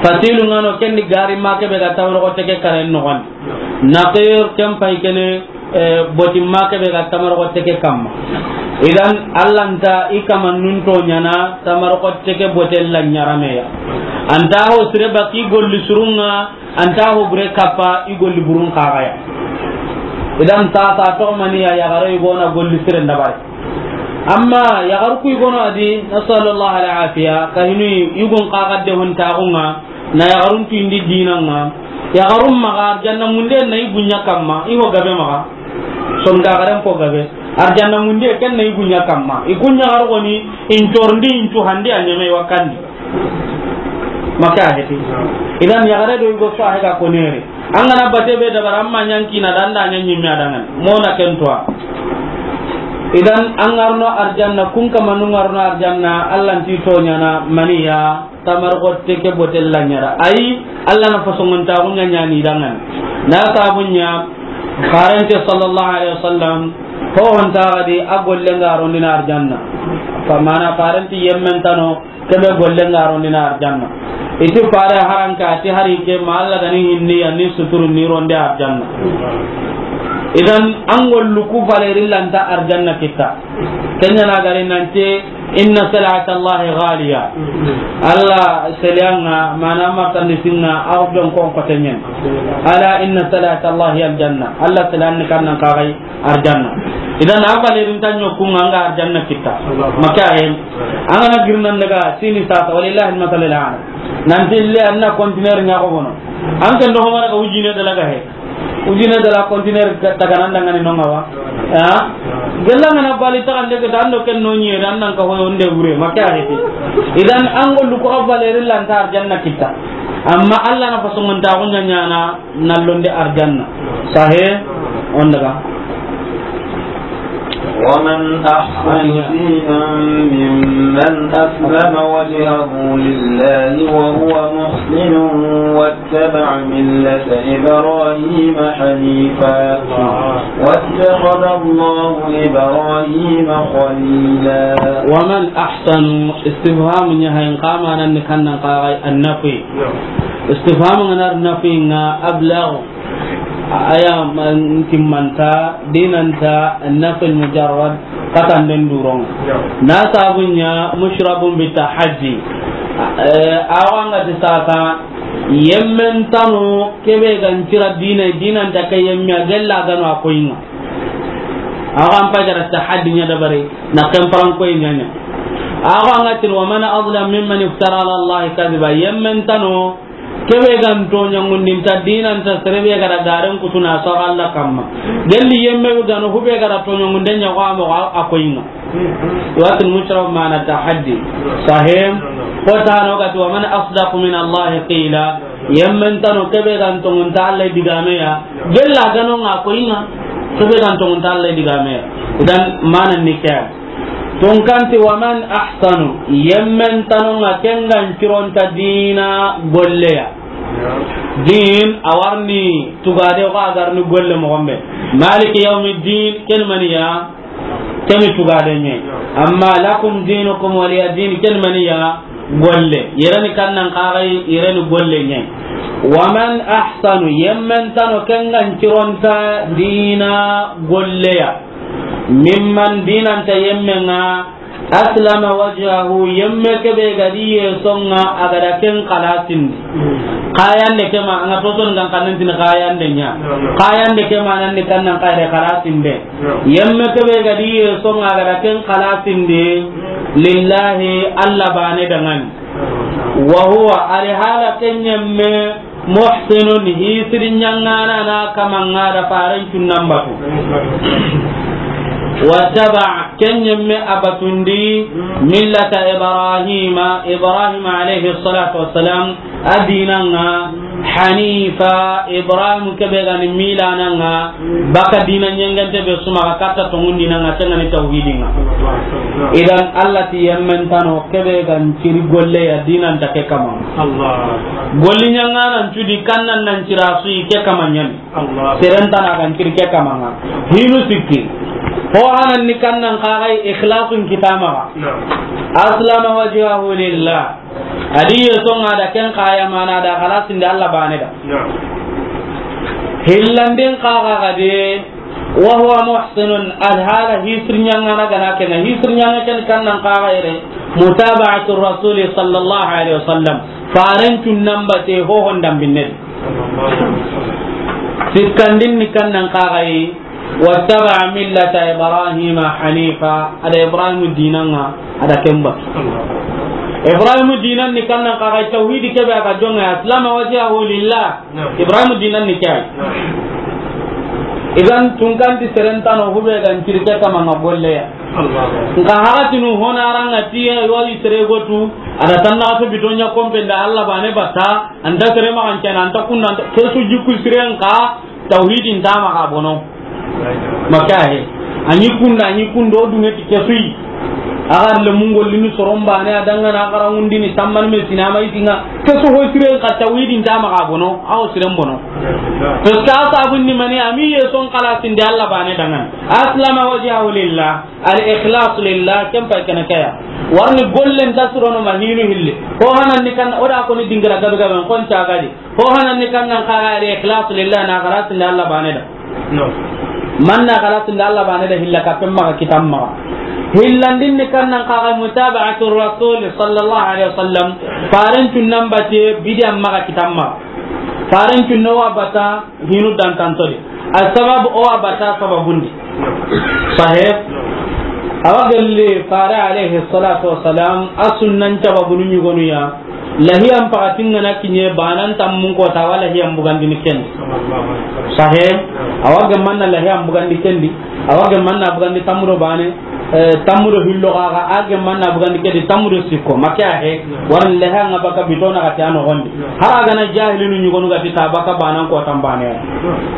Fasilu ngano kenni gari ma ke be ga tamara xotte ke karen noxon. Naqir ken pay kene, eh, botimma ke be ga tamaro xotte ke kamma. Idan, Allah nta i kamannun to ɲana tamaro xotte ke bote la ɲarameya. Anta ho sire baki golli surunga, anta ho bure kappa i golli burun kagaya. Idan, ta, ta to mani ya, ya garo i gona golli sire ndabare. Amma ya garu ku i gono adi, nasallallahu alaihi wa sallam, kahinu i gun kagadde hon tagunga, Na yaxarun tu indi dinanga. Yaxarun maxa arjanna munde na i bunya kamma, i ho gabe maxa. Sonda garen ko gabe. Arjanna mundiye ken na i gunya kamma. I kunya gargoni, in torndi, in tu handi a nyame wakandi. Maka heti. Idan yaxare do i go so a hega ko nere. An ga na bate be dabara, amma ɲankina danda ɲanyi me adangan. Mona ken toa. Idan an ŋarno arjanna, kun kamanu ŋarno arjanna, Allah nti toɲana maniya. Tamar xotte ke botel la ɲara. Ayi, Allah na fasongontaxu ɲa ɲani dangan. Na sabunya, farante sallallahu alaihi wasallam, ho honta gadi a golle ngarondina arjanna. Fa mana farante yemmen tano, kebe golle ngarondina arjanna. Iti fare haranka, ati hari ke ma Allah gani hinni, anni suturu ni ronde arjanna. Idan, an gollu ku valeri lanta arjanna kita. Kenya na gari nanti, inna salata Allahi ghaliya. Allah selianga, mana martandi singa, au don kon kotenyen. Ala inna salata Allahi aljanna. Allah selian ni kannan kagai arjanna. Idan a valerin tanyo kunga anga arjanna kita. Maka en. Angana girnan daga sini sasa, walillahi almasalul a'la. Nanti le anna container nya ko bono. An kan do homara ka ujine dalaga he. Ujine dala container taganan dangani nonga wa. Ya. Gella ngana bali ta ande ke dando ken no nyi dan nan ka hoyo nde wure, maka heti. Idan an gollu ko valeri lanta arjanna kita. Amma Allah na fasongontaxu ɲaɲana nallonde arjanna. Sahe, on daga. ومن أحسن دينا ممن أسلم وجهه لله وهو محسن واتبع ملة إبراهيم حنيفا واتخذ الله إبراهيم خليلا. ومن أحسن، استفهام نهاية قام أنا نكنا قاعي النفي. Istifham ngana nafi nga ablag. Aya man timmanta, dinanta, nafi mujarrad, katanden duron. Na sabunya mushrabun bi tahaddi. Eh, awa nga ti sasa, yemmen tano kebe gan tira dina, dinanta ke yemme a gella gano a koyinga. Awa an pagara tahaddi nya dabare, na kan paran koy nya nya. Awa nga ti, wa man azlam mimman iftara ala Allahi kadhiba, yemmen tano, kebe gan toɲangundinta dinanta serebe ga da garen kutuna so Allah kamma. Gelli yemme be gano hube ga da toɲangunden ɲa ko amo a koyinga. Watin mushra mana tahaddi. Sahim. Ko tano ga ti wa man asdaqu min Allah qila. Yemmen tano kebe gan tongunta Allah digame ya. Gella gano nga koyinga. Kebe gan tongunta Allah digame ya. Idan mana nikah. Tunkanti, wa man ahsanu, yemmen tanonga kengan cironta dina golleya. Din, a warni tugade ko a garni golle moxo be. Maliki yawmi din, ken maniya, keni tugade ɲe. Amma lakum dinukum waliya din, ken maniya, golle. Yereni kannan kaxay, yereni golle ɲe. Wa man ahsanu, yemmen tano kengan cironta dina golleya. Mimman dinanta yemme nga, aslama wajhahu, yemme kebe ga di yesonga a ga da ken xalasindi. Xayande ke ma, anga toson gan kanen tin xayande nya. Xayande ke ma nan ni kannan xayre xalasinde. Yemme kebe ga di yesonga a ga da ken xalasindi. Lillahi, Allah bane dangani. Wa huwa, ari hala ken yemme, muhsinun, hisiri ɲangana na kamanga da faren cunnan batu. Wattaba, ken yemme a batundi, millata Ibrahima, Ibrahima alayhi salatu wassalam, a dinanga, hanifa, Ibrahim kebe gani milananga, baka dina ɲengente be suma katta tongun dinanga, tengani tawhidinga. Idan Allah ti yemmen tano kebe gan ciri golle ya dinanta ke kama. Allah. Golli ɲanganan cudi kannan nan cira suyi ke kama ɲan. Allah. Serentana gan ciri ke kama nga. Hinu sikki. Ho hanan ni kannan kagai ikhlasun kitama. Na'am. Aslama wajhahu lillah. Adi yesonga da ken kaya mana da xalasinde Allah bane da. Na'am. Hillandin kaga gade. Wa huwa muhsinun, alhala hisir ɲangana gana kena, hisir ɲanga ken kannan kaga yere, mutaba'atu rasuli sallallahu alaihi wasallam, faren cunnan bate hohon dambinne. Sikkandin ni kannan kaga yi, wattaba'a millata Ibrahima hanifa, ada Ibrahim dinanga, ada kemba. Ibrahim dinan ni kannan kaga yi, tawhidi kebe aga jonga, aslama wajhahu lillah. Ibrahim dinan ni kay. Idan tunkanti seren tano hube gan cirke kama nga golle ya. Nka hakatinu hona ranga tiye wali sere gotu, ada tanna to bitonya kompe nda Allah bane bata, anta sere ma kan cana, anta kunna, anta kesu jikku siren ka, tawhidin tama ka bono. Maka he. Anyi kunda, anyi kundo dunge ti kesui. Agar le mungol lini soron bane adanga na agar ngundini tamman me sinama itinga. Kesu ho siren ka tawhidin tama ka bono, aw siren bono. Parce que a sabun ni mani ami ye son kala sinde Allah bane dangan. Aslama wajhahu lillah, al ikhlas lillah, kem pa kana kaya. Warni gollen ta surono ma hinu hilli. Ho hanan ni kan oda ko ni dingira gabe gabe kon ta gadi. Ho hanan ni kan nan kara al ikhlas lillah na kara sinde Allah bane da. No. Man na kara sinde Allah bane da hilla ka pemma ka kitamma. Hillandin ni kan nan kara mutaba'atur rasul sallallahu alaihi wasallam. Faran tunnan bate bidiyan ma ka kitamma. Faran tunno wa bata hinu dan tantodi. Asbab o abata sababundi. Sahih. Awa gelli fare alayhi salatu wassalam, a sunnan sababunu ñugonu ya. Lahiyan pakatin ngana kiñe banan tammun kota, wa lahiyan bugandini kendi. Sahih. Awa gemanna lahiyan bugandi kendi. Awa gemanna bugandi tammudo bane. Eh, tammudo hillo xaxa, a gemma na bugandi kedi tammudo sikko, make a he, waran lehe anga baka bitona gati a noxondi. Hara gana jahilinu ñugonu gati ta baka banan ko tambane.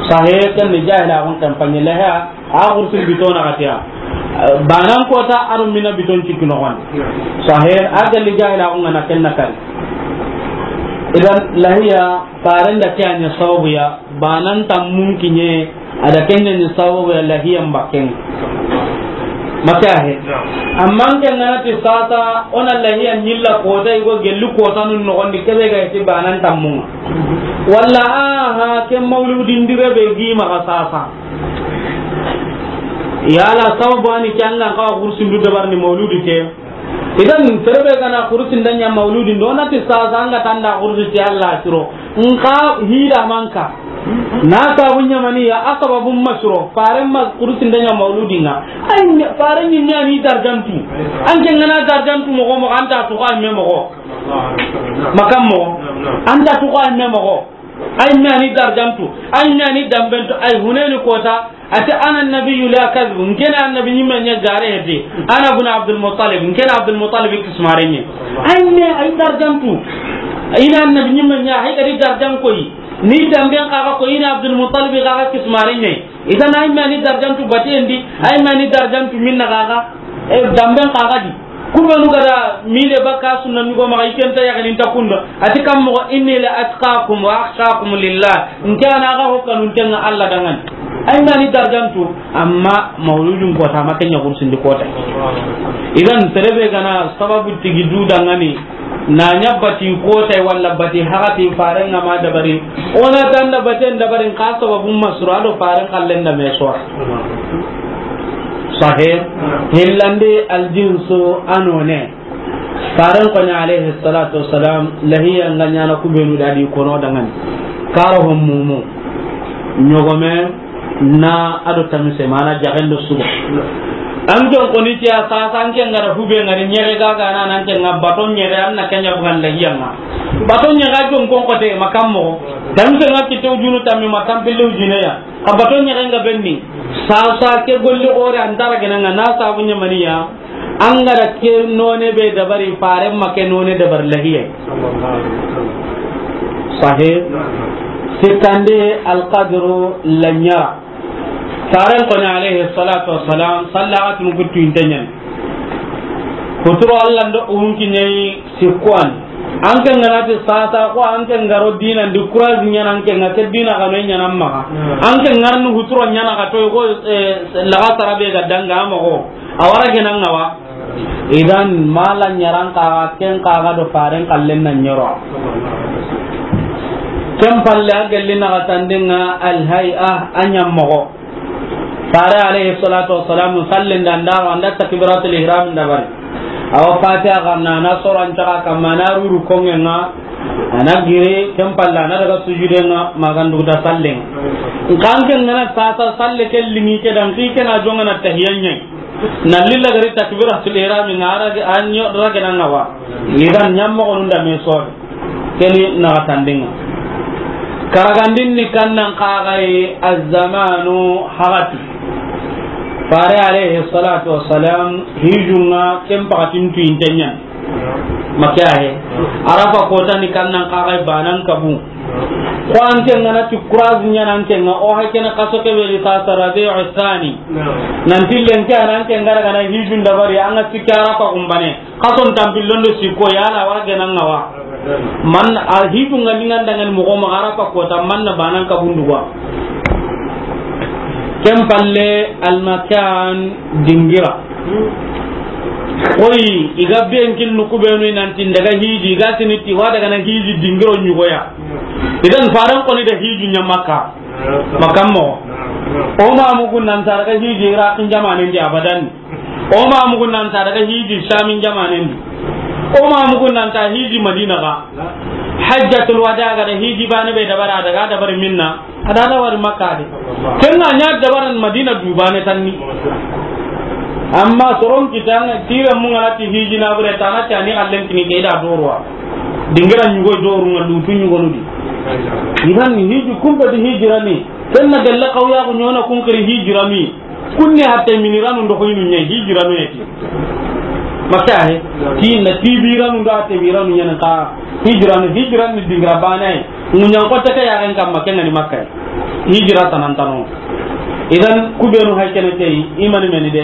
Sahe ken ni jahila xun kampanye lehe, a xursin bitona gati a. Banan ko ta aro mina biton cikki noxondi. Sahe, a galli jahila xun ngana ken na kari. Idan lahiya, farenda ke a ña sababu ya, banan tammun kiñe, a da kenya ni sababu ya lahiyan bakken. Maka he. Amma an ke ngana ti sasa, ona lahiyan ñilla kota, igo gelli kota nun noxondi kebe ga ti banan tammunga. Walla, aha, ke mauludin dire be gi maxa sasa. Yala sababu ani ke an ga ka xursin du dabar ni mauludi ke. Idan, terebe gana xurusi ndanya mauludi, ndo na ti sasa anga tanda xurusi ti Allah siro. Nka hida manka. Na sabu ñamani ya, a sababu masuro. Faren ma xurusi ndanya mauludi nga. Ay, faren ni ñani darjantu. An ke ngana darjantu moxo moxo, anta tuxa me moxo. Makam moxo. Anta tuxa me moxo. Ay ñani darjantu, ay ñani dambento, ay huneni kota, ati ana nabiyyu la kadhib, nkena annabi ñimme ña gare heti, ana bun Abdul Muttalib, nkena Abdul Muttalib kismare ñi. Ay me, ay darjantu, ina annabi ñimme ña, hay kadi darjan koyi, ni damben kaga ko ina Abdul Muttalib kaga kismare ñi. Idan ay me ani darjantu batendi, ay me ani darjantu minna kaga, e damben kaga di. Kubenu gada mile baka sunna ñugo maxa, i kenta yaxini nta kunda. Ati kam moxo, inni la atqakum wa akhshakum lillah. Nke ana ga ho kanu ntenga Allah dangan. Ay ngani darjantu, amma mauludun kota ma kenya kursindi kota. Idan terebe gana sababu tigi du dangani, na ña bati kota walla bati hagati faren nga ma dabari. Ona tanda baten dabarin ka sababu masura do faren kallen da me sora. Sahe, hillandi aljinsu anone. Faren koni alayhi salatu wassalam, lahiya nga ñana kubenu dadi kono dangani. Karo hom mumu. Ñogome na ado tamise mana jaxendo sugo. An jon koni tiya sasa an ke ngara hube ngari ñere gaga na nan ke nga baton ñere an na kenya bugan lahiya nga. Baton ñere jon kon kote makam mo. Tamise nga kito junu tammi makam pillu june ya. A bato ñaxen ga benni, sasa ke golli xore an tara gena nga na sabu ñamaniya, an ga da ke none be dabari, faren ma ke none dabari lahiye. Sahe, sikkande alqadru la ñara. Faren koni alayhi salatu wassalam, sallaxatun kuttu inte ñani. Kuturo Allah ndo unki ñayi, Sikkuwan. An ke ngana ti sasa ko an ke ngaro dina ndi courage ñana an ke nga ke dina kano ñana maxa. Hmm. An ke ngarnu huturo ñana ka to ko, eh, laga sarabe ga danga moxo. Awara ke nan ngawa. Idan mala ñaran ka ken ka ga do faren kallen na ñoro. Ken palle a gelli na ga tandenga al hay'a a ñam moxo. Fare alayhi salatu wassalam, sallin da ndaro, anda takbiratul ihram da bari. Awa Fatiha xanna, na soro an taga kamma, na ruru kongenga, ana giri, ken palla, na daga sujudenga, magandu da sallin. Nkanke ngana sasa salle ke lingi ke dan, ki ke na jonga na tahiyan ñi. Na lilla gari takbiratul ihram, na rage, anyo rage na ngawa. Idan ñammo gonun da me sori. Keni na ga tandinga. Karagandin ni kannan kaxaye, azzamanu, hagati. Fare alayhi salatu wassalam, hijunga ken pakatin tuyinten ñan. Make ahe. Arafa kota ni kannan kaxaye banan kabu. Ko an ke ngana ti kurazi ñana an ke nga, o hay kene kaso ke be ri sasa Rabi'u Thani. Nan tillen ke anan ke ngara gana hijun dabari, an ga sikki Arafa kumbane. Kason tampillondo sikko yala wara gena ngawa. Man a hijunga ni nganda ngani moxo maxa Arafa kota, man na banan kabunduwa. Ken palle, almakan, dingira. Koyi, iga ben kin nuku benu nanti daga hiji, iga tiniti wa daga na hiji dingiro ñugoya. Idan faran koni da hiju ña Makka. Makka mo. O ma mugun nan ta daga hiji Iraqin jamanen di abadan. O ma mugun nan ta daga hiji Shamin jamanen di. O ma mugun nan ta hiji Madina ga. Hajjatul wada ga da hiji bane be dabara daga dabar minna. Adada wari Makka de. Kenna ña dabaran Madina dubane tanni. Amma soron kitanga tira mun ngana ti hiji na bure tana ti ani allen kini ke da dorwa. Dingira ñugo doru nga lutu ñugo nudi. Idan hiji kumba di hijira ni. Kenna galla kawya ko ñona kun kiri hijira mi. Kunne hatte miniranu ndo hoynu ñe hijiranu yeti. Makka he. Ti na tibiranu ndo hatte biranu ñen ka hijiranu, hijiranu dingira bane. Munyan ko ta ke ya ren kamma ken ngani Makka. Hijira tanantano. Idan kubenu hay kene kay imani meni de.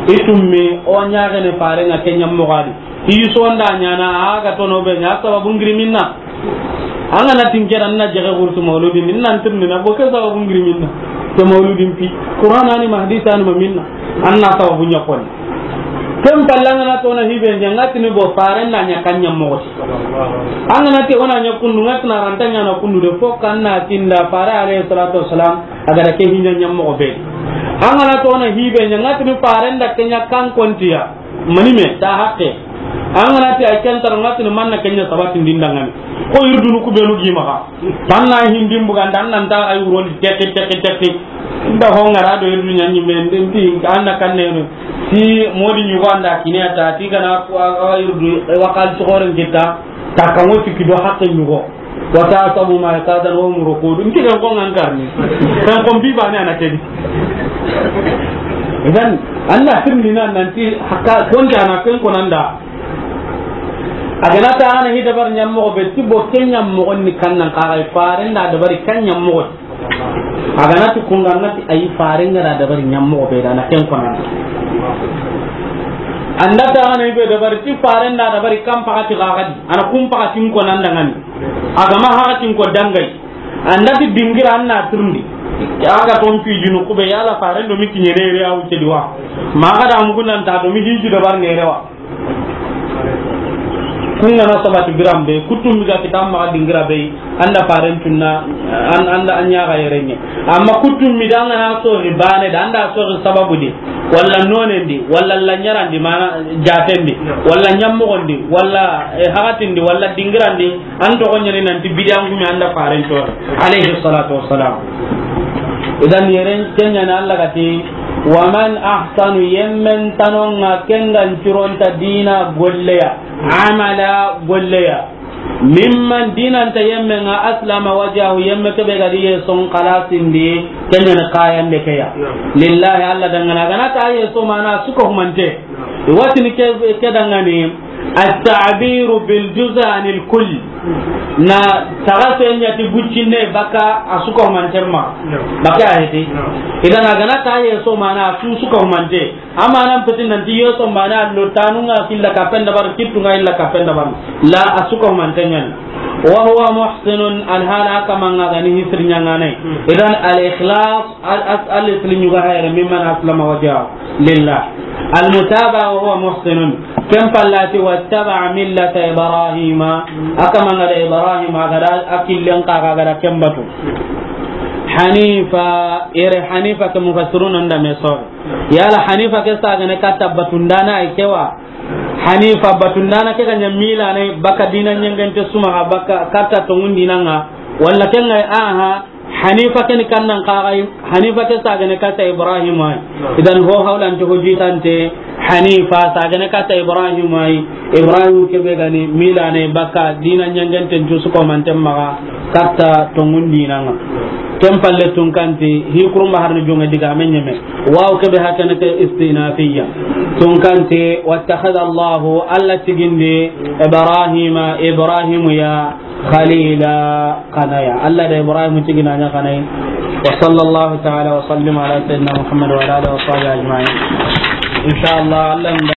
Itummi o ñaagene fare nga kenya mogadi. Iso nda ñana a ga tono be ña sababu ngiri minna. An ga na tinke ran na jege gurtu mauludin, nan tirni na boke sababu ngiri minna. To mauludin pi. Qur'an ani ma hadis ani ma minna. An na sababu ña koni. Ken palle an ga na tona hibe ña ngatini bo faren na ña kanya mogoti. An ga na te wona ña kundu ngatna ranta ñana kundu de fo kan na tinda fare alayhi salatu wassalam a ga da ke hinya ña mogo be. An ga na tona hibe ña ngatini faren da kenya kan kontiya. Mani me ta hakke. An ga na ti ay ken tar ngatini manna kenya sabati ndindangani. Ko irdunu ku benu gi maxa. Tanna hindin buganda nan ta ay uroni teki teki teki. Nda ho ngara do irdu ñanyi me ndin ti anna kanne no. Ti modi ñugo anda kine ata ti kana ko a irdu wakal to horen kita. Ta kamo ti kido hakke ñugo. Wa tahsabuhum ayqazan wa hum ruqud. Nti kan ko ngan karni. Kan ko bi bane ana kedi. Idan, Allah sirni nan nanti hakka kon jana ken ko nanda. A ga na ta ana hi dabar ñammo be ti bo ken ñammo ni kannan ka ga faren da dabari kan ñammo. A ga na ti kun ga na ti ay faren ga da dabari ñammo be da na ken ko nanda. Anda ta ana hi be dabari ti faren da dabari kan pakati ga ga di. Ana kun pakatin ko nanda ngani. A ga ma haratin ko dangay. Anda ti dingira anna turndi. A ga ton pi jinu kube yala faren do mi kiñe re re awu cedi wa. Ma ga da mugu nan ta do mi hiji do bar ne rewa. Kun ga na sabati biram be kutum mi ga kitam ma dingira be anda faren tunna an anda anya ga yerenye. Amma kutum mi danga na so ri bane da anda so ri sababu di. Walla nonendi, walla lanyarandi, mana jatendi, walla ñammogondi, walla, eh, hagatindi, walla dingirandi, an togo ñani nanti bidiyan gumi anda faren to, alayhi salatu wassalam. Idan yeren kenyani Allah gati, wa man ahsanu yemmen tanonga kengan cironta dina golleya, amala golleya. Mimman dinanta yemme nga aslama wajahu yemme kebe gadi ye son kalasindi kenyana kayande keya. Naam. Lillahi Allah dangana gana ta ye so mana suka humante. Naam. Watini ke, ke dangani at-ta'biru bil juz'anil kull. Na taga senya ti buccinne baka asuka humante ma. Naam. Baka aheti. Naam. Idan gana ta ye so mana su suka humante. Amanan peti nanti yeso mana lo tanunga killa kapen dabar kittunga illa kapen dabar. La asuka mantenyan. Wa huwa muhsinun alhala kamanga gani hisri nyangane. Hmm. Idan al ikhlas al as al isli nyuga hayre mimman aslama wajhahu lillah. Al mutaba wa huwa muhsinun. Kem pallati wattaba millata Ibrahima. Akamanga da Ibrahima gada akillen kaga gada kembatu. Hanifa, ere Hanifa ke mufassirun anda meso. Yala Hanifa ke sagane katta batundana ay kewa. Hanifa batundana ke ganya mila ne baka dina nyangante suma ha baka katta to ngundinanga. Walla kenga aha Hanifa ke ni kannan kagai Hanifa ke sagane katta Ibrahim ay. Idan ho hawlan to hojitante Hanifa, sagene katta Ibrahim ay. Ibrahim kebe ga ni mila ne baka dina ɲanganten tusu ko manten maxa katta tongun dinanga. Ken palle tunkanti, hi kurumba harni jonge diga men ɲeme. Waw kebe hakene ke istinafiya. Tunkanti, wattakhadha Allahu, Alla tigindi, Ibrahima, Ibrahimu ya, khalila, xanaya. Alla da Ibrahim tigina ɲa xanay. Wa sallallahu ta'ala wa sallim ala sayyidina Muhammad wa ala alihi wa sahbihi ajma'in. Inshallah, Alla